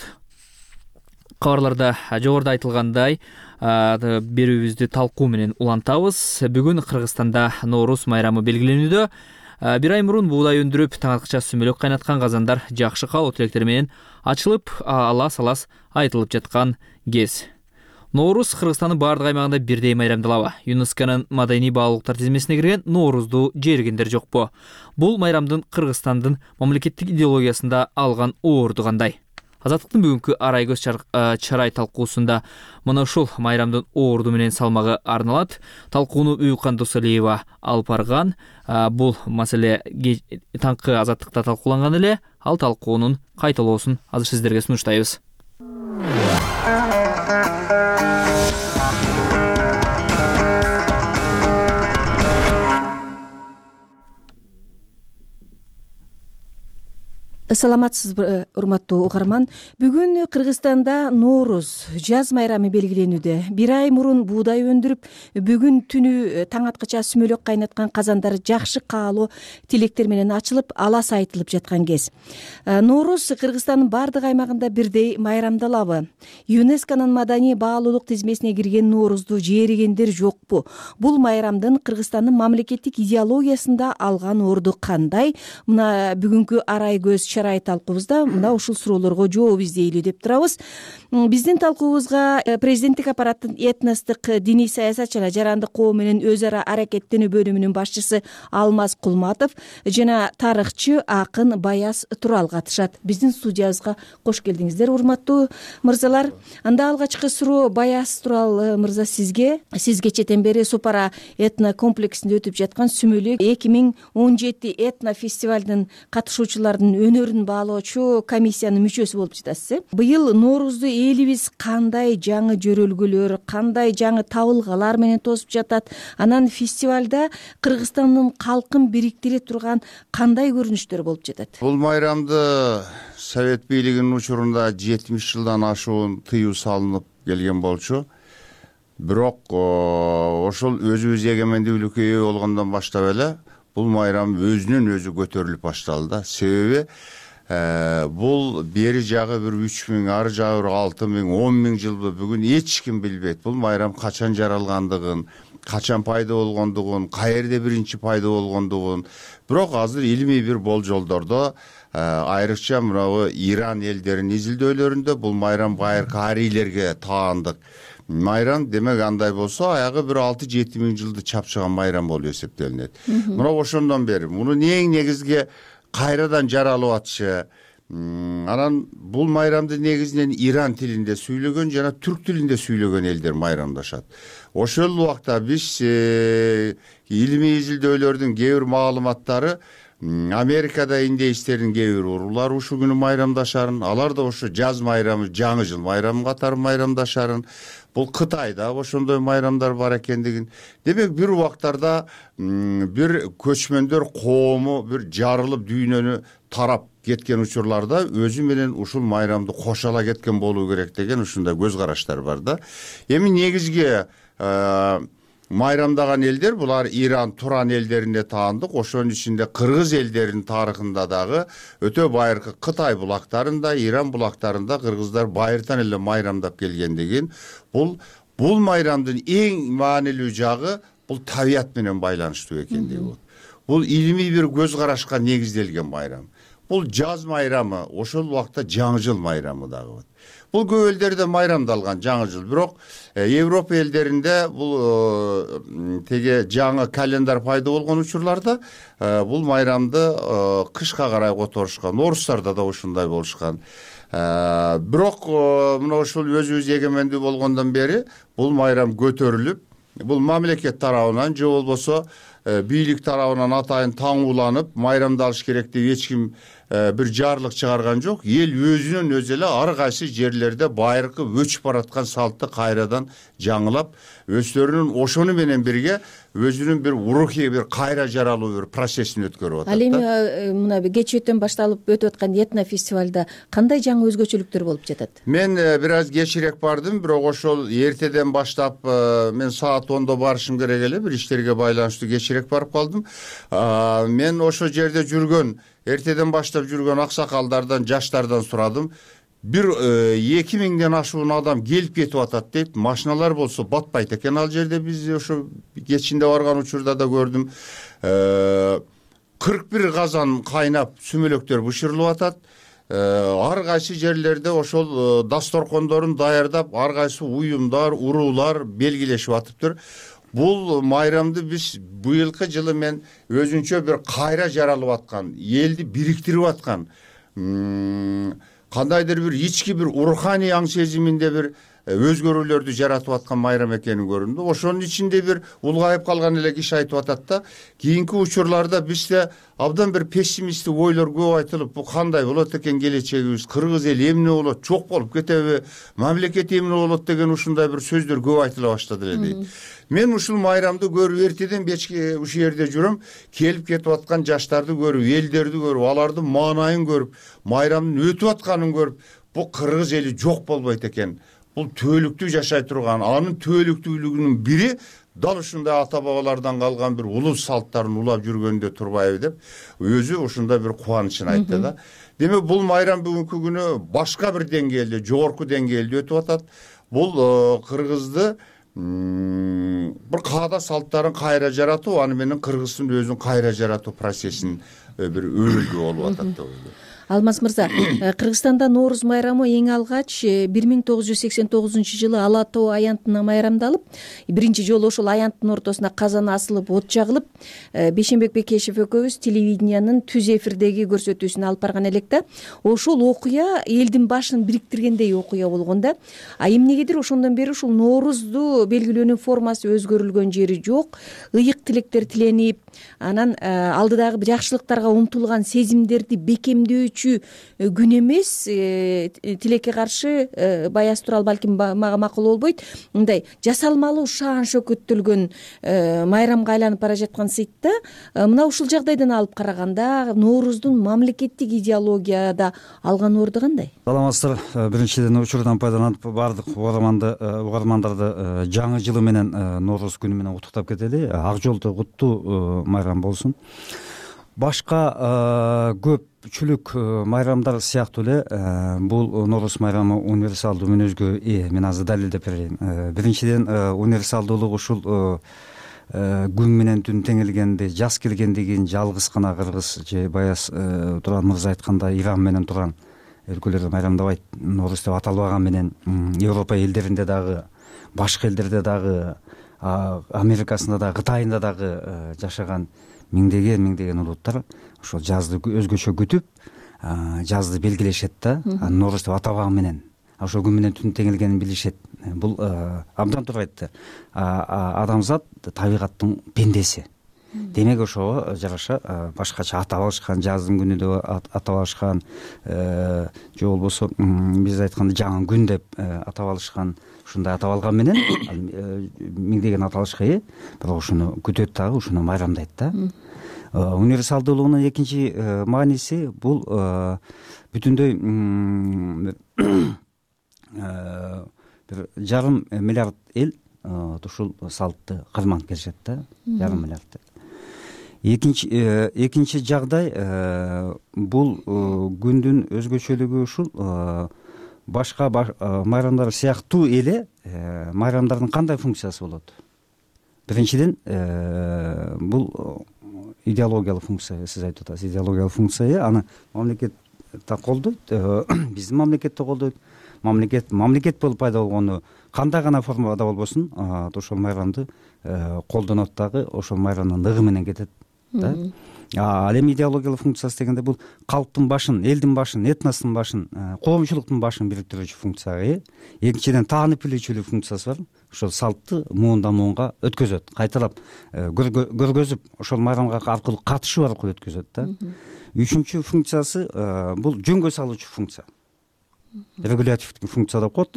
Кабарларда жогоруда айтылгандай берүүбүздү талкуу менен улантабыз. Бүгүн Кыргызстанда Нооруз майрамы белгиленүүдө. Бир ай мурун буудай өндүрүп, таңаткыча сүмөлөк кайнаткан казандар жакшы каалоо тилектери менен ачылып, алас-алас айтылып жаткан кез. Нооруз Кыргызстандын бардык аймагында бирдей майрамдалабы? ЮНЕСКОнун маданий баалуулуктар тизмесине кирген Ноорузду жергендер жокпу? Бул майрамдын Кыргызстандын мамлекеттик идеологиясында алган орду кандай? Азаттыктын бүгүнкү арай көз чарай талкуусунда мына ушул майрамдын орду менен салмагы арналат. Талкууну Уюкан Досалиева алып барган. Бул маселе таңкы Азаттыкта талкууланган эле. Ал талкуунун кайталоосун азыр сиздерге сунуштайбыз. Саламатсызбы, урматтуу угарман. Бүгүн Кыргызстанда Нооруз жаз майрамы белгиленүүдө. Бир ай мурун буудай өндүрүп, бүгүн түнү таң аткыча сүмөлөк кайнаткан казандар жакшы каалоо тилектер менен ачылып, алас айтылып жаткан кез. Нооруз Кыргызстандын бардык аймагында бирдей майрамдалабы? ЮНЕСКОнун маданий баалуулук тизмесине киргенНоорузду жээригендер жокпу? Бул майрамдын Кыргызстандын мамлекеттик идеологиясында алган орду кандай? Мына бүгүнкү арай көз чарай талкуубузда мына ушул суроолорго жооп издейлүү деп турабыз. Биздин талкуубузга президенттик аппараттын этностук диний саясат жана жарандык коом менен өз ара аракеттенүү бөлүмүнүн башчысы Алмаз Кулматов жана тарыхчы акын Баяз Турал катышат. Биздин студиябызга кош келдиңиздер, урматтуу мырзалар. Анда алгачкы суроо Баяз Турал мырза сизге. Сиз кечээден бери Супара этно комплексинде өтүп жаткан сүмөлөк 2017 этно фестивалдын катышуучуларынын өнөрүн баалоочу комиссиянын мүчөсү болуп жатасыз. Быйыл Ноорузду элибиз кандай жаңы жөрөлгөлөр, кандай жаңы табылгалар менен тосуп жатат? Анан фестивалда Кыргызстандын калкын бириктире турган кандай көрүнүштөр болуп жатат? Бул майрамды Совет бийлигинин учурунда 70 жылдан ашуун тыюу салынып келген болчу. Бирок ошол өзүбүз эгемендүүлүккө ээ болгондон баштап эле бул майрам өзүнөн өзү көтөрүлүп башталды да. Себеби бул бери жагы бир 3000, ары жагы 6000, 10000 жылбы бүгүн эч ким билбейт. Бул майрам качан жаралгандыгын, качан пайда болгондугун, каерде биринчи пайда болгондугун. Бирок азыр илимий бир болжолдордо, айрыкча мынабу Иран элдеринин изилдөөлөрүндө бул майрам байыркы арийлерге таандык майрам. Демек андай болсо аягы бир 6-7 миң жылды чапчыган майрам болуп эсептелинет. Мына ошондон бери мунун эң негизги кайрадан жаралып атышы. Анан бул майрамды негизинен Иран тилинде сүйлөгөн жана түрк тилинде сүйлөгөн элдер майрамдашат. Ошол убакта биз илимий изилдөөлөрдүн кээ бир маалыматтары Америкада индейстердин кээ бир уруулары ушул күнү майрамдашарын, алар да ошо жаз майрамы, жаңы жыл майрамы катары майрамдашарын. Бул Кытайда ошондой майрамдар бар экендигин. Демек бир убактарда бир көчмөндөр коому бир жарылып дүйнөнү тарап кеткен учурларда өзү менен ушул майрамды кошо кеткен болуу керек деген ушундай көз караштар бар да. Эми негизги майрамдаган элдер булар Иран, Туран элдерине таандык. Ошонун ичинде кыргыз элдеринин тарыхында дагы өтө байыркы Кытай булактарында, Иран булактарында кыргыздар байыртан эле майрамдап келгендигин, бул майрамдын эң маанилүү жагы бул табият менен байланыштуу экендиги болот. Бул илимий бир көз карашка негизделген майрам. Бул жаз майрамы, ошол убакта жаңы жыл майрамы дагы болот. Бул көп элдерде майрамдалган жаңы жыл, бирок Европа элдеринде бул теге жаңы календар пайда болгон учурларда бул майрамды кышка карай которушкан. Орустарда да ушундай болушкан. Бирок мына ушул өзүбүз эгемендүү болгондон бери бул майрам көтөрүлүп, бул мамлекет тарабынан же болбосо бийлик тарабынан атайын таңууланып майрамдалыш керек деп эч ким бир жарлык чыгарган жок. Эл өзүнөн өзү эле ар кайсы жерлерде байыркы өчүп бараткан салтты кайрадан жаңылап, өздөрүнүн ошону менен бирге өзүнүн бир рухий бир кайра жаралуу бир процессин өткөрүп атат. Ал эми мына кечээттен башталып өтүп аткан этно фестивалда кандай жаңы өзгөчөлүктөр болуп жатат? Мен бир аз кечирээк бардым, бирок ошол эртеден баштап мен саат 10до барышым керек эле, бир иштерге байланыштуу кечирээк барып калдым. Мен ошол жерде жүргөн, эртеден баштап жүргөн аксакалдардан, жаштардан сурадым. Бир 2000ден ашуун адам келип кетип атат дейт. Машиналар болсо батпайт экен ал жерде. Биз ошо кечинде барган учурда да көрдүм. 41 казан кайнап сүмөлөктөр бышырылып атат. Ар кайсы жерлерде ошол дасторкондорун даярдап, ар кайсы уюмдар, уруулар белгилешип атыптыр. Бул майрамды биз быйылкы жылы мен өзүнчө бир кайра жаралып аткан, элди бириктирип аткан, кандайдыр бир ички бир руханий аң сезиминде бир өзгөрүүлөрдү жаратып аткан майрам экенин көрүндү. Ошонун ичинде бир улгайып калган эле киши айтып атат да, кийинки учурларда бизде абдан бир пессимисттик ойлор көп айтылып, бул кандай болот экен келечегибиз, кыргыз эли эмне болот, жок болуп кетеби, мамлекет эмне болот деген ушундай бир сөздөр көп айтыла баштады эле дейт. Мен ушул майрамды көрүп эртеден кечке ушул жерде жүрөм, келип кетип аткан жаштарды көрүп, элдерди көрүп, алардын маанайын көрүп, майрамдын өтүп атканын көрүп, бул кыргыз эли жок болбойт экен. Бул түбөлүктүү жашай турган, анын түбөлүктүүлүгүнүн бири дал ушундай ата бабалардан калган бир улус салттарын улап жүргөндө турбайбы деп өзү ушундай бир кубанычын айтты да. Демек бул майрам бүгүнкү күнү башка бир деңгээлде, жогорку деңгээлде өтүп атат. Бул кыргызды бир каада салттарын кайра жаратуу, аны менен кыргыздын өзүн кайра жаратуу процессин бир өрүлгү болуп атат деп ойлойм. Алмаз мырза, Кыргызстанда Нооруз майрамы эң алгач 1989 жылы Ала тоо аянтына майрамдалып, биринчи жолу ошол аянттын ортосуна казан асылып, от жагылып, Бейшенбек Бекешев экөөбүз телевидениянын түз эфирдеги көрсөтүүсүн алып барган элек да. Ошол окуя элдин башын бириктиргендей окуя болгон да. Эмнегедир ошондон бери ушул Ноорузду белгилөөнүн формасы өзгөрүлгөн жери жок. Ыйык тилектер тиленип, анан алдыдагы жакшылыктарга умтулган сезимдерди бекемдөөчү күн эмес, тилекке каршы Баяз Турал балким мага макул болбойт, мындай жасалмалуу шаан шөкөттөлгөн майрамга айланып бара жаткан сыйтта, мына ушул жагдайдан алып караганда Нооруздун мамлекеттик идеологияда алган орду кандай? Саламатсыздар. Биринчиден учурдан пайдаланып баардык угармандарды жаңы жылы менен, Нооруз күнү менен куттуктап кетели. Ак жолдо куттуу майрам болсун. башка көпчүлүк майрамдар сыяктуу эле бул Нооруз майрамы универсалдуу мүнөзгө ээ. Мен азыр далилдеп берейин. Биринчиден универсалдуулук ушул күн менен түн теңелгенде жаз келгенден кийин жалгыз гана кыргыз же баягы Туран мырза айткандай Иран менен турган өлкөлөр майрамдабайт. Нооруз деп аталбаган менен Европа элдеринде дагы, башка элдерде дагы, Америкасында дагы, Кытайында дагы жашаган миңдеген улуттар ошол жазды өзгөчө күтүп, жазды белгилешет да. Нооруз деп атабаган менен ошол күн менен түн теңелгенин билишет. Бул абдан туура айтты. Адамзат табигаттын пендеси. Демек ошого жараша башкача атап алышкан, жаздын күнү деп атап алышкан, же болбосо биз айтканда жаңы күн деп атап алышкан, ушундай атап алган менен миңдеген аталышка ээ. Бирок ушуну күтөт дагы, ушуну майрамдайт да. Универсалдуулугунун экинчи мааниси бул бүтүндөй бир 1,5 миллиард эл ушул салтты карманып келишет да. 1,5 миллиард. Экинчи жагдай бул күндүн өзгөчөлүгү ушул башка майрамдар сыяктуу эле майрамдардын кандай функциясы болот? Биринчиден бул идеологиялык функция, сиз айтып атасыз, идеологиялык функция. Аны мамлекет да колдойт, биздин мамлекет да колдойт. Мамлекет болуп пайда болгону кандай гана формада болбосун, ошол майрамды колдонот дагы, ошол майрамдын ныгы менен кетет да. Ал эми идеологиялык функциясы дегенде бул калктын башын, элдин башын, этностун башын, коомчулуктун башын бириктирүүчү функцияга. Экинчиден таанып билүүчүлүк функциясы бар. Ошол салтты муундан муунга өткөзөт, кайталап көргөзүп, ошол майрамга аркылуу катышуу аркылуу өткөзөт да. Үчүнчү функциясы бул жөнгө салуучу функция. Регулятивдик функция деп коет.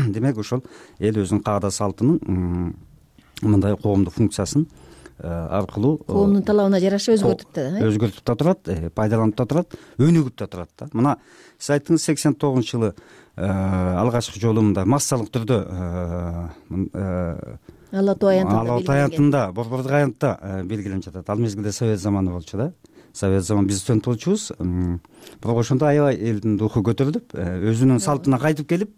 Демек ошол эл өзүнүн каада салтынын мындай коомдук функциясын аркылуу коомдун талабына жараша өзгөртүп да турат, пайдаланып да турат, өнүгүп да турат да. Мына сиз айттыңыз 89-жылы алгачкы жолу мындай массалык түрдө Ала Тоо аянтында, Борбордук аянтта белгиленип жатат. Ал мезгилде совет заманы болчу да. Совет заманы биз студент болчубуз. Бирок ошондо аябай элдин руху көтөрүлүп, өзүнүн салтына кайтып келип,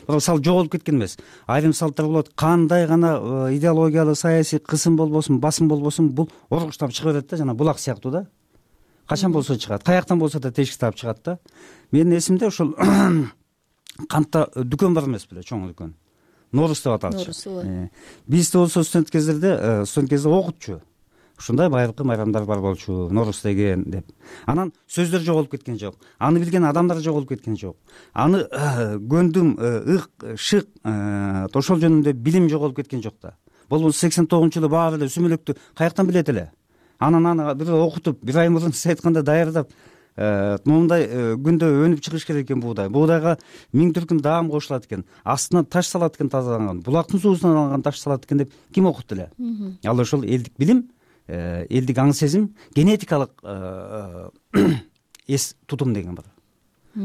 бирок салт жоголуп кеткен эмес. Айрым салттар болот. Кандай гана идеологиялык, саясий кысым болбосун, басым болбосун, бул оргуштап чыга берет да, жана булак сыяктуу да. Качан болсо чыгат, каяктан болсо да тешик таап чыгат да. Менин эсимде ошол кантта дүкөн бар эмес беле, чоң дүкөн. Нооруз деп аталчу. Бизде болсо студент кезде окутчу. Ушундай байыркы майрамдар бар болчу, Нооруз деген деп. Анан сөздөр жоголуп кеткен жок. Аны билген адамдар жоголуп кеткен жок. Аны көндүм, ык, шык, ошол жөнүндө билим жоголуп кеткен жок да. Бул 89-жылы баары эле сүмөлөктү каяктан билет эле? Анан аны бир окутуп, бир ай мурун сиз айткандай даярдап, моундай күндө өнүп чыгыш керек экен буудай. Буудайга 1000 түркүм даам кошулат экен. Астынан таш салат экен тазаланган. Булактын суусунан алынган таш салат экен деп ким окутtu эле? Ал ошол элдик билим, элдик аң сезим, генетикалык эс тутум деген бар.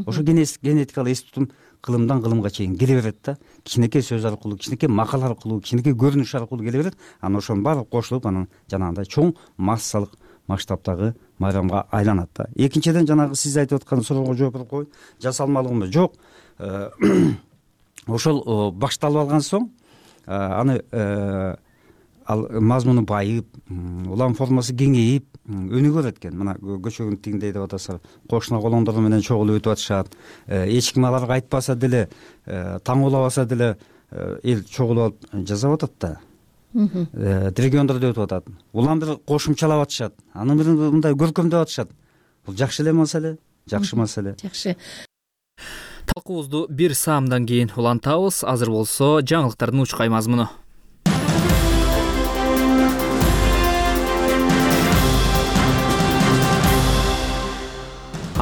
Ошо генетикалык эс тутум кылымдан кылымга чейин келе берет да. Кичинекей сөз аркылуу, кичинекей макал аркылуу, кичинекей көрүнүш аркылуу келе берет. Анан ошонун баары кошулуп, анан жанагындай чоң массалык масштабтагы майрамга айланат да. Экинчиден жанагы сиз айтып аткан суроого жооп берип коеюн. Жасалмалыгы жок. Ошол башталып алган соң аны ал мазмуну байып, улам формасы кеңейип, өнүгөр экен. Мына көчөгүн тигиндей деп атасыздар. Кошуна колоңдор менен чогулуп өтүп атышат. Эч ким аларга айтпаса деле, таң улабаса деле эл чогулуп алып жасап атат да. Региондордо өтүп атат. Улам бир кошумчалап атышат. Аны бир мындай көркөмдөп атышат. Бул жакшы эле маселе, жакшы маселе. Жакшы. Талкуубузду бир саамдан кийин улантабыз. Азыр болсо жаңылыктардын учкай мазмуну.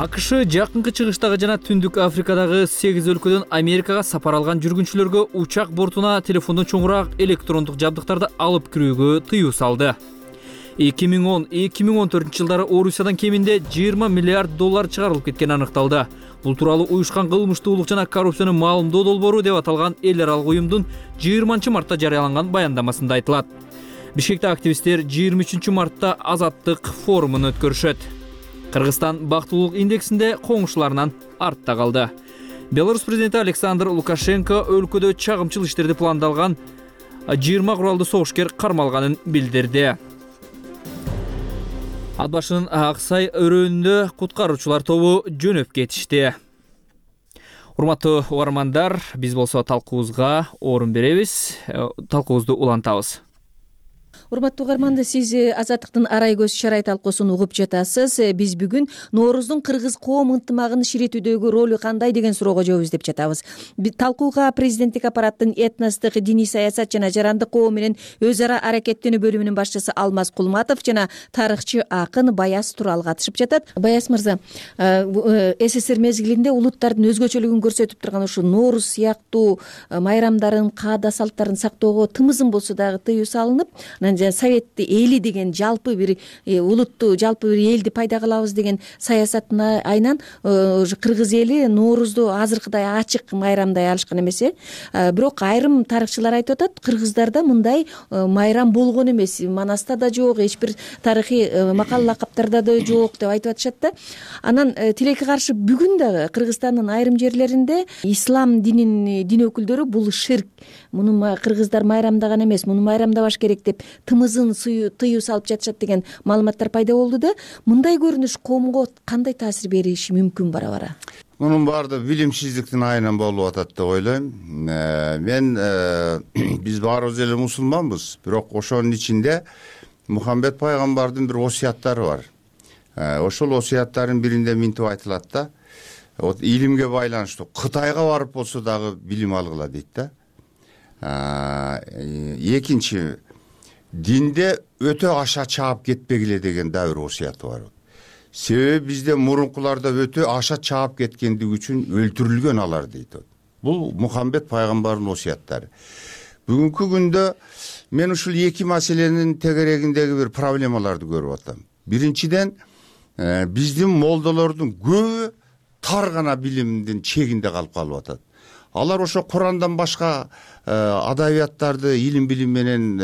АКШ жакынкы чыгыштагы жана Түндүк Африкадагы 8 өлкөдөн Америкага сапар алган жүргүнчүлөргө учак бортуна телефондон чоңураак электрондук жабдыктарды алып кирүүгө тыюу салды. 2010-2014 жылдары Орусиядан кеминде 20 миллиард доллар чыгарылып кеткени аныкталды. Бул тууралуу уюшкан кылмыштуулук жана коррупцияны маалымдоо долбоору деп аталган эл аралык уюмдун 20 мартта жарыяланган баяндамасында айтылат. Бишкекте активисттер 23-мартта азаттык форумун өткөрүшөт. Кыргызстан бактылуулук индексинде коңшуларынан артта калды. Беларусь президенти Александр Лукашенко өлкөдө чагымчыл иштерди пландалган 20 куралдуу согушкер кармалганын билдирди. Ат башынын Аксай өрөөнүндө куткаруучулар тобу жөнөп кетишти. Урматтуу угармандар, биз болсо талкуубузга орун беребиз. Талкуубузду улантабыз. Урматтуу угармандар, сиз Азаттыктын арай көз чарай талкуусун угуп жатасыз. Биз бүгүн Нооруздун кыргыз коом ынтымагын ширитүүдөгү ролу кандай деген суроого жооп издеп жатабыз. Талкууга президенттик аппараттын этностук, диний саясат жана жарандык коом менен өз ара аракеттенүү бөлүмүнүн башчысы Алмаз Кулматов жана тарыхчы акын Баяз Турал катышып жатат. Баяз мырза, СССР мезгилинде улуттардын өзгөчөлүгүн көрсөтүп турган ушу Нооруз сыяктуу майрамдарын, каада салттарын сактоого тымызын болсо дагы тыюу салынып, совет эли деген жалпы бир улутту, жалпы бир элди пайда кылабыз деген саясаттын айынан кыргыз эли Ноорузду азыркыдай ачык майрамдай алышкан эмес. Бирок айрым тарыхчылар айтып атат, кыргыздарда мындай майрам болгон эмес, Манаста да жок, эч бир тарыхый макал лакаптарда да жок деп айтып атышат да. Анан тилекке каршы бүгүн дагы Кыргызстандын айрым жерлеринде ислам динин дин өкүлдөрү бул ширк, муну кыргыздар майрамдаган эмес, муну майрамдабаш керек деп тымызын тыюу салып жатышат деген маалыматтар пайда болду да. Мындай көрүнүш коомго кандай таасир бериши мүмкүн бара-бара? Мунун баардыгы билимсиздиктин айынан болуп атат деп ойлойм. Мен биз баарыбыз эле мусулманбыз, бирок ошонун ичинде Мухаммед пайгамбардын бир осуяттары бар. Ошол осуяттардын биринде минтип айтылат да, илимге байланыштуу Кытайга барып болсо дагы билим алгыла дейт да. Экинчи, динде өтө аша чаап кетпегиле деген да бир осуяты бар. Себеби бизде мурункуларда өтө аша чаап кеткендиги үчүн өлтүрүлгөн алар дейт. Бул Мухаммед пайгамбардын осуяттары. Бүгүнкү күндө мен ушул эки маселенин тегерегиндеги бир проблемаларды көрүп атам. Биринчиден, биздин молдолордун көбү тар гана билимдин чегинде калып атат. Алар ошо Курандан башка адабияттарды илим билим менен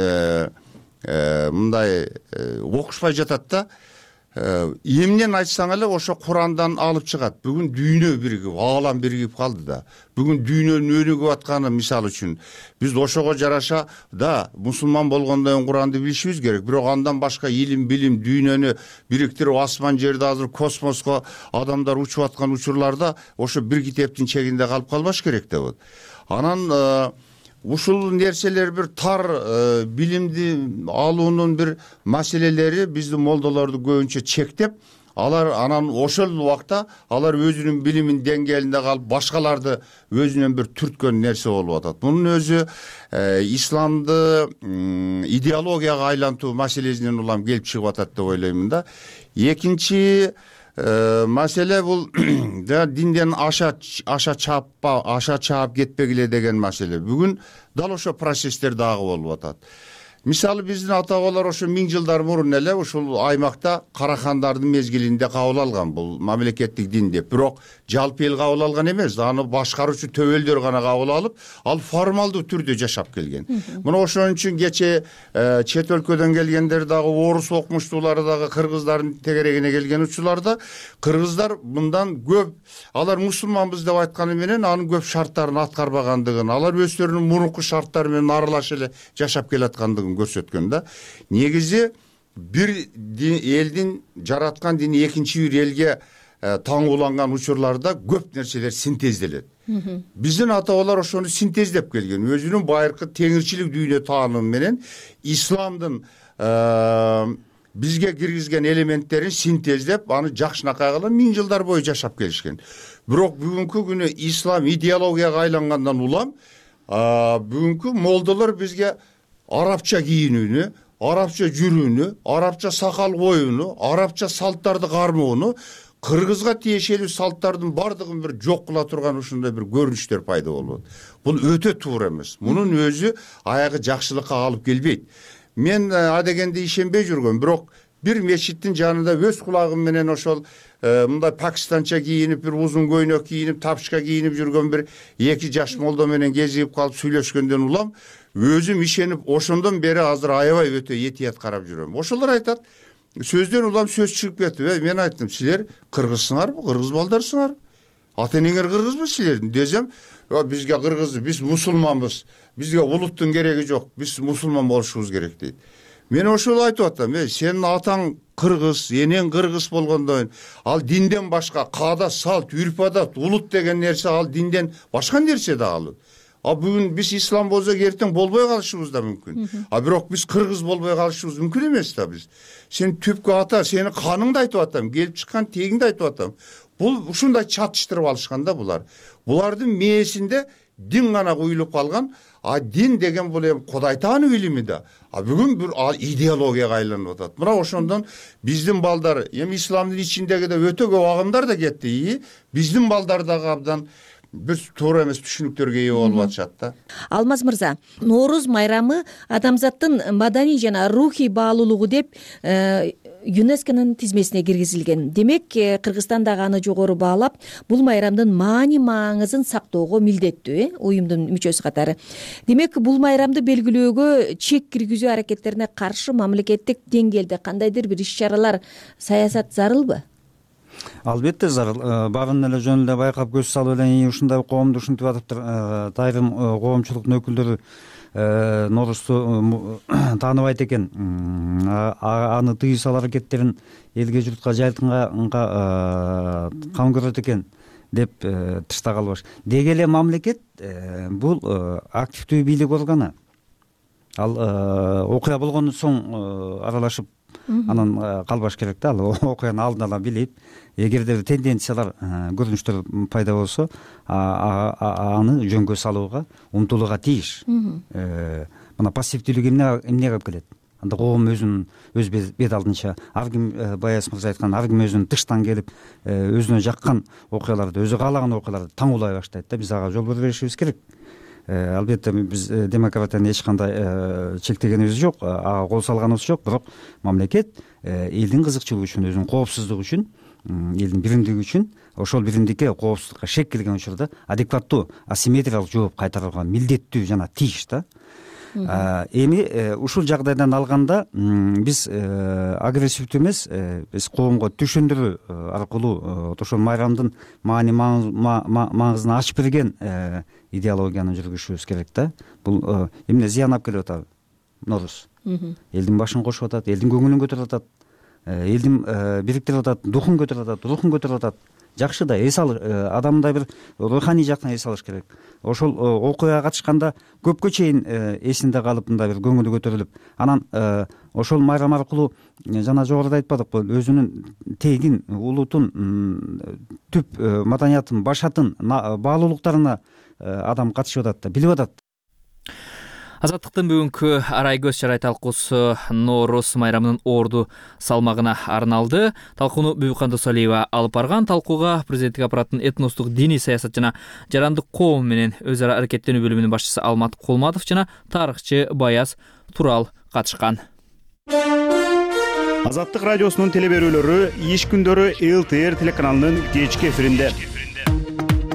мындай окушпай жатат да. Эмнен айтсаң эле ошо Курандан алып чыгат. Бүгүн дүйнө биригип, аалам биригип калды да. Бүгүн дүйнөнүн өнүгүп атканы мисал үчүн биз ошого жараша да мусулман болгондон кийин Куранды билишибиз керек. Бирок андан башка илим билим дүйнөнү бириктирип асман жерди азыр космоско адамдар учуп аткан учурларда ошо бир китептин чегинде калып калбаш керек деп. Анан ушул нерселер бир тар билимди алуунун бир маселелери биздин молдолорду көбүнчө чектеп, алар анан ошол убакта алар өзүнүн билимин деңгээлинде калып, башкаларды өзүнөн бир түрткөн нерсе болуп атат. Мунун өзү исламды идеологияга айлантуу маселесинен улам келип чыгып атат деп ойлоймун да. Экинчи маселе бул динден аша чаап кетпегиле деген маселе. Бүгүн дал ошо процесстер дагы болуп атат. Мисалы биздин ата бабалар ошо 1000 жылдар мурун эле ушул аймакта карахандардын мезгилинде кабыл алган бул мамлекеттик дин деп. Бирок жалпы эл кабыл алган эмес, аны башкаруучу төбөлдөр гана кабыл алып, ал формалдуу түрдө жашап келген. Муну ошон үчүн кече чет өлкөдөн келгендер дагы, орус окумуштуулары дагы кыргыздардын тегерегине келген учурларда кыргыздар мындан көп, алар мусулманбыз деп айтканы менен анын көп шарттарын аткарбагандыгын, алар өздөрүнүн мурунку шарттары менен аралаша эле жашап келаткандыгын көрсөткөн да. Негизи бир элдин жараткан дини экинчи бир элге таңууланган учурларда көп нерселер синтезделет. Биздин ата бабалар ошону синтездеп келген. Өзүнүн байыркы теңирчилик дүйнө таанымы менен исламдын бизге киргизген элементтерин синтездеп, аны жакшынакай кылып 1000 жылдар бою жашап келишкен. Бирок бүгүнкү күнү ислам идеологияга айлангандан улам бүгүнкү молдолор бизге арабча кийинүүнү, арабча жүрүүнү, арабча сакал коюуну, арабча салттарды кармоону, кыргызга тиешелүү салттардын бардыгын бир жок кыла турган ушундай бир көрүнүштөр пайда болот. Бул өтө туура эмес. Мунун өзү аягы жакшылыкка алып келбейт. Мен адегенде ишенбей жүргөм, бирок бир мечиттин жанында өз кулагым менен ошол мындай пакистанча кийинип, бир узун көйнөк кийинип, тапчка кийинип жүргөн бир эки жаш молдо менен кезигип калып сүйлөшкөндөн улам өзүм ишенип ошондон бери азыр аябай өтө этият карап жүрөм. Ошолор айтат, сөздөн улам сөз чыгып кетти. Мен айттым, силер кыргызсыңарбы, кыргыз балдарсыңар? Ата энеңер кыргызбы силердин десем, бизге кыргыз, биз мусулманбыз, бизге улуттун кереги жок, биз мусулман болушубуз керек дейт. Мен ошол айтып атам, сенин атаң кыргыз, энең кыргыз болгондон ал динден башка каада, салт, үрп адат, улут деген нерсе ал динден башка нерсе да ал. Бүгүн биз ислам болсок, эртең болбой калышыбыз да мүмкүн. Бирок биз кыргыз болбой калышыбыз мүмкүн эмес да биз. Сен түпкү ата, сенин каныңды айтып атам, келип чыккан тегиңди айтып атам. Бул ушундай чатыштырып алышкан да булар. Булардын мээсинде дин гана куюлуп калган. Дин деген бул эми Кудай таануу илими да. Бүгүн бир идеологияга айланып атат. Мына ошондон биздин балдар, эми исламдын ичиндеги да өтө көп агымдар да кетти. Биздин балдар дагы абдан бир туура эмес түшүнүктөргө ээ болуп атышат да. Алмаз мырза, Нооруз майрамы адамзаттын маданий жана рухий баалуулугу деп ЮНЕСКОнун тизмесине киргизилген. Демек, Кыргызстан дагы аны жогору баалап, бул майрамдын маани маңызын сактоого милдеттүү, уюмдун мүчөсү катары. Демек, бул майрамды белгилөөгө чек киргизүү аракеттерине каршы мамлекеттик деңгээлде кандайдыр бир иш-чаралар, саясат зарылбы? Албетте зарыл. Барын эле жөн эле байкап көз салып эле ушундай коомду ушинтип атыптыр. Айрым коомчулуктун өкүлдөрү Ноорузду тааныбайт экен. Аны тыюу аракеттерин элге журтка жайылтынга кам көрөт экен деп тышта калбаш. Деги эле мамлекет бул активдүү бийлик органы. Ал окуя болгондон соң аралашып анан калбаш керек да. Ал окуяны алдын ала билип, эгерде тенденциялар, көрүнүштөр пайда болсо, аны жөнгө салууга умтулууга тийиш. Мына пассивдүүлүк эмнеге алып келет? Анда коом өз бет алдынча, ар ким Баяз мырза айткан, ар ким өзүнүн тыштан келип, өзүнө жаккан окуяларды, өзү каалаган окуяларды таңуулай баштайт да. Биз ага жол бербешибиз керек. Албетте биз демократияны эч кандай чектегенибиз жок, кол салганыбыз жок, бирок мамлекет элдин кызыкчылыгы үчүн, өзүнүн коопсуздугу үчүн, элдин биримдиги үчүн, ошол биримдикке, коопсуздукка шек келген учурда адекваттуу, асимметриялык жооп кайтарууга милдеттүү жана тийиш да. Эми ушул жагдайдан алганда биз агрессивдүү эмес, биз коомго түшүндүрүү аркылуу ошол майрамдын маани маңызын ачып берген идеологияны жүргүзүшүбүз керек да. Бул эмне зыян алып келип атат? Нооруз элдин башын кошуп атат, элдин көңүлүн көтөрүп атат, элдин бириктирип атат, духун көтөрүп атат, рухун көтөрүп атат. Жакшы да, эс ал, адамда бир руханий жактан эс алыш керек. Ошол окуяга катышканда көпкө чейин эсинде калып, мындай бир көңүлү көтөрүлүп, анан ошол майрам аркылуу жана жогоруда айтпадыкпы, өзүнүн тегин, улутун, түп маданиятын, башатын, баалуулуктарына адам катышып атат да, билип атат. Азаттыктын бүгүнкү арай көз чарай талкуусу Нооруз майрамынын орду салмагына арналды. Талкууну Бүбүкан Досалиева алып барган. Талкууга президенттик аппараттын этностук, диний саясат жана жарандык коом менен өз ара аракеттенүү бөлүмүнүн башчысы Алмат Кулматов жана тарыхчы Баяз Турал катышкан. Азаттык радиосунун телеберүүлөрү иш күндөрү ЛТР телеканалынын кечки эфиринде.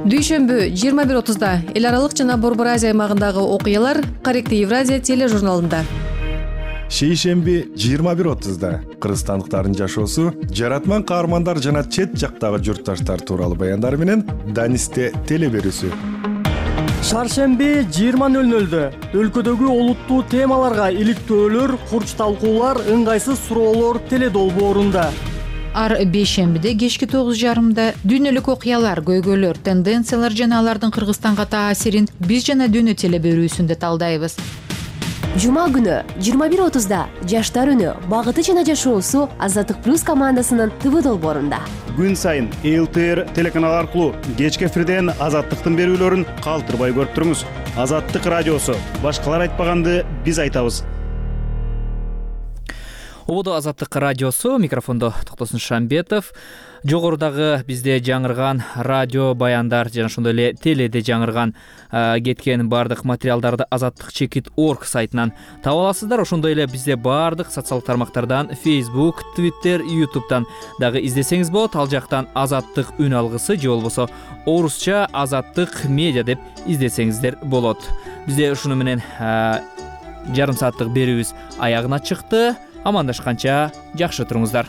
Дүйшөмбү 21:30 эл аралык жана Борбор Азия аймагындагы окуялар Корректив Евразия тележурналында. Шейшемби 21:30 кыргызстандыктардын жашоосу, жаратман каармандар жана чет жактагы журтташтар тууралуу баяндар менен Данисте телеберүүсү. Шаршемби 20:00 өлкөдөгү олуттуу темаларга иликтөөлөр, курч талкуулар, ыңгайсыз суроолор теледолбоорунда. Ар бейшембиде кечки 9:30 дүйнөлүк окуялар, көйгөйлөр, тенденциялар жана алардын Кыргызстанга таасирин биз жана дүйнө телеберүүсүндө талдайбыз. Жума күнү 21:30 Жаштар үнү, багыты жана жашоосу Азаттык плюс командасынын ТВ долбоорунда. Күн сайын ЛТР телеканалы аркылуу кечки эфирден Азаттыктын берүүлөрүн калтырбай көрүп туруңуз. Азаттык радиосу, башкалар айтпаганды биз айтабыз. ободо азаттык радиосу, микрофондо Токтосун Шамбетов. Жогорудагы бизде жаңырган радио баяндар жана ошондой эле теледе жаңырган кеткен баардык материалдарды azattik.org сайтынан таба аласыздар. Ошондой эле бизде баардык социалдык тармактардан Facebook, Twitter, YouTube'дан дагы издесеңиз болот. Ал жактан Азаттык үн алгысы же болбосо орусча Азаттык медиа деп издесеңиздер болот. Бизде ушуну менен жарым сааттык берүүбүз аягына чыкты. Амандашканча жакшы туруңуздар.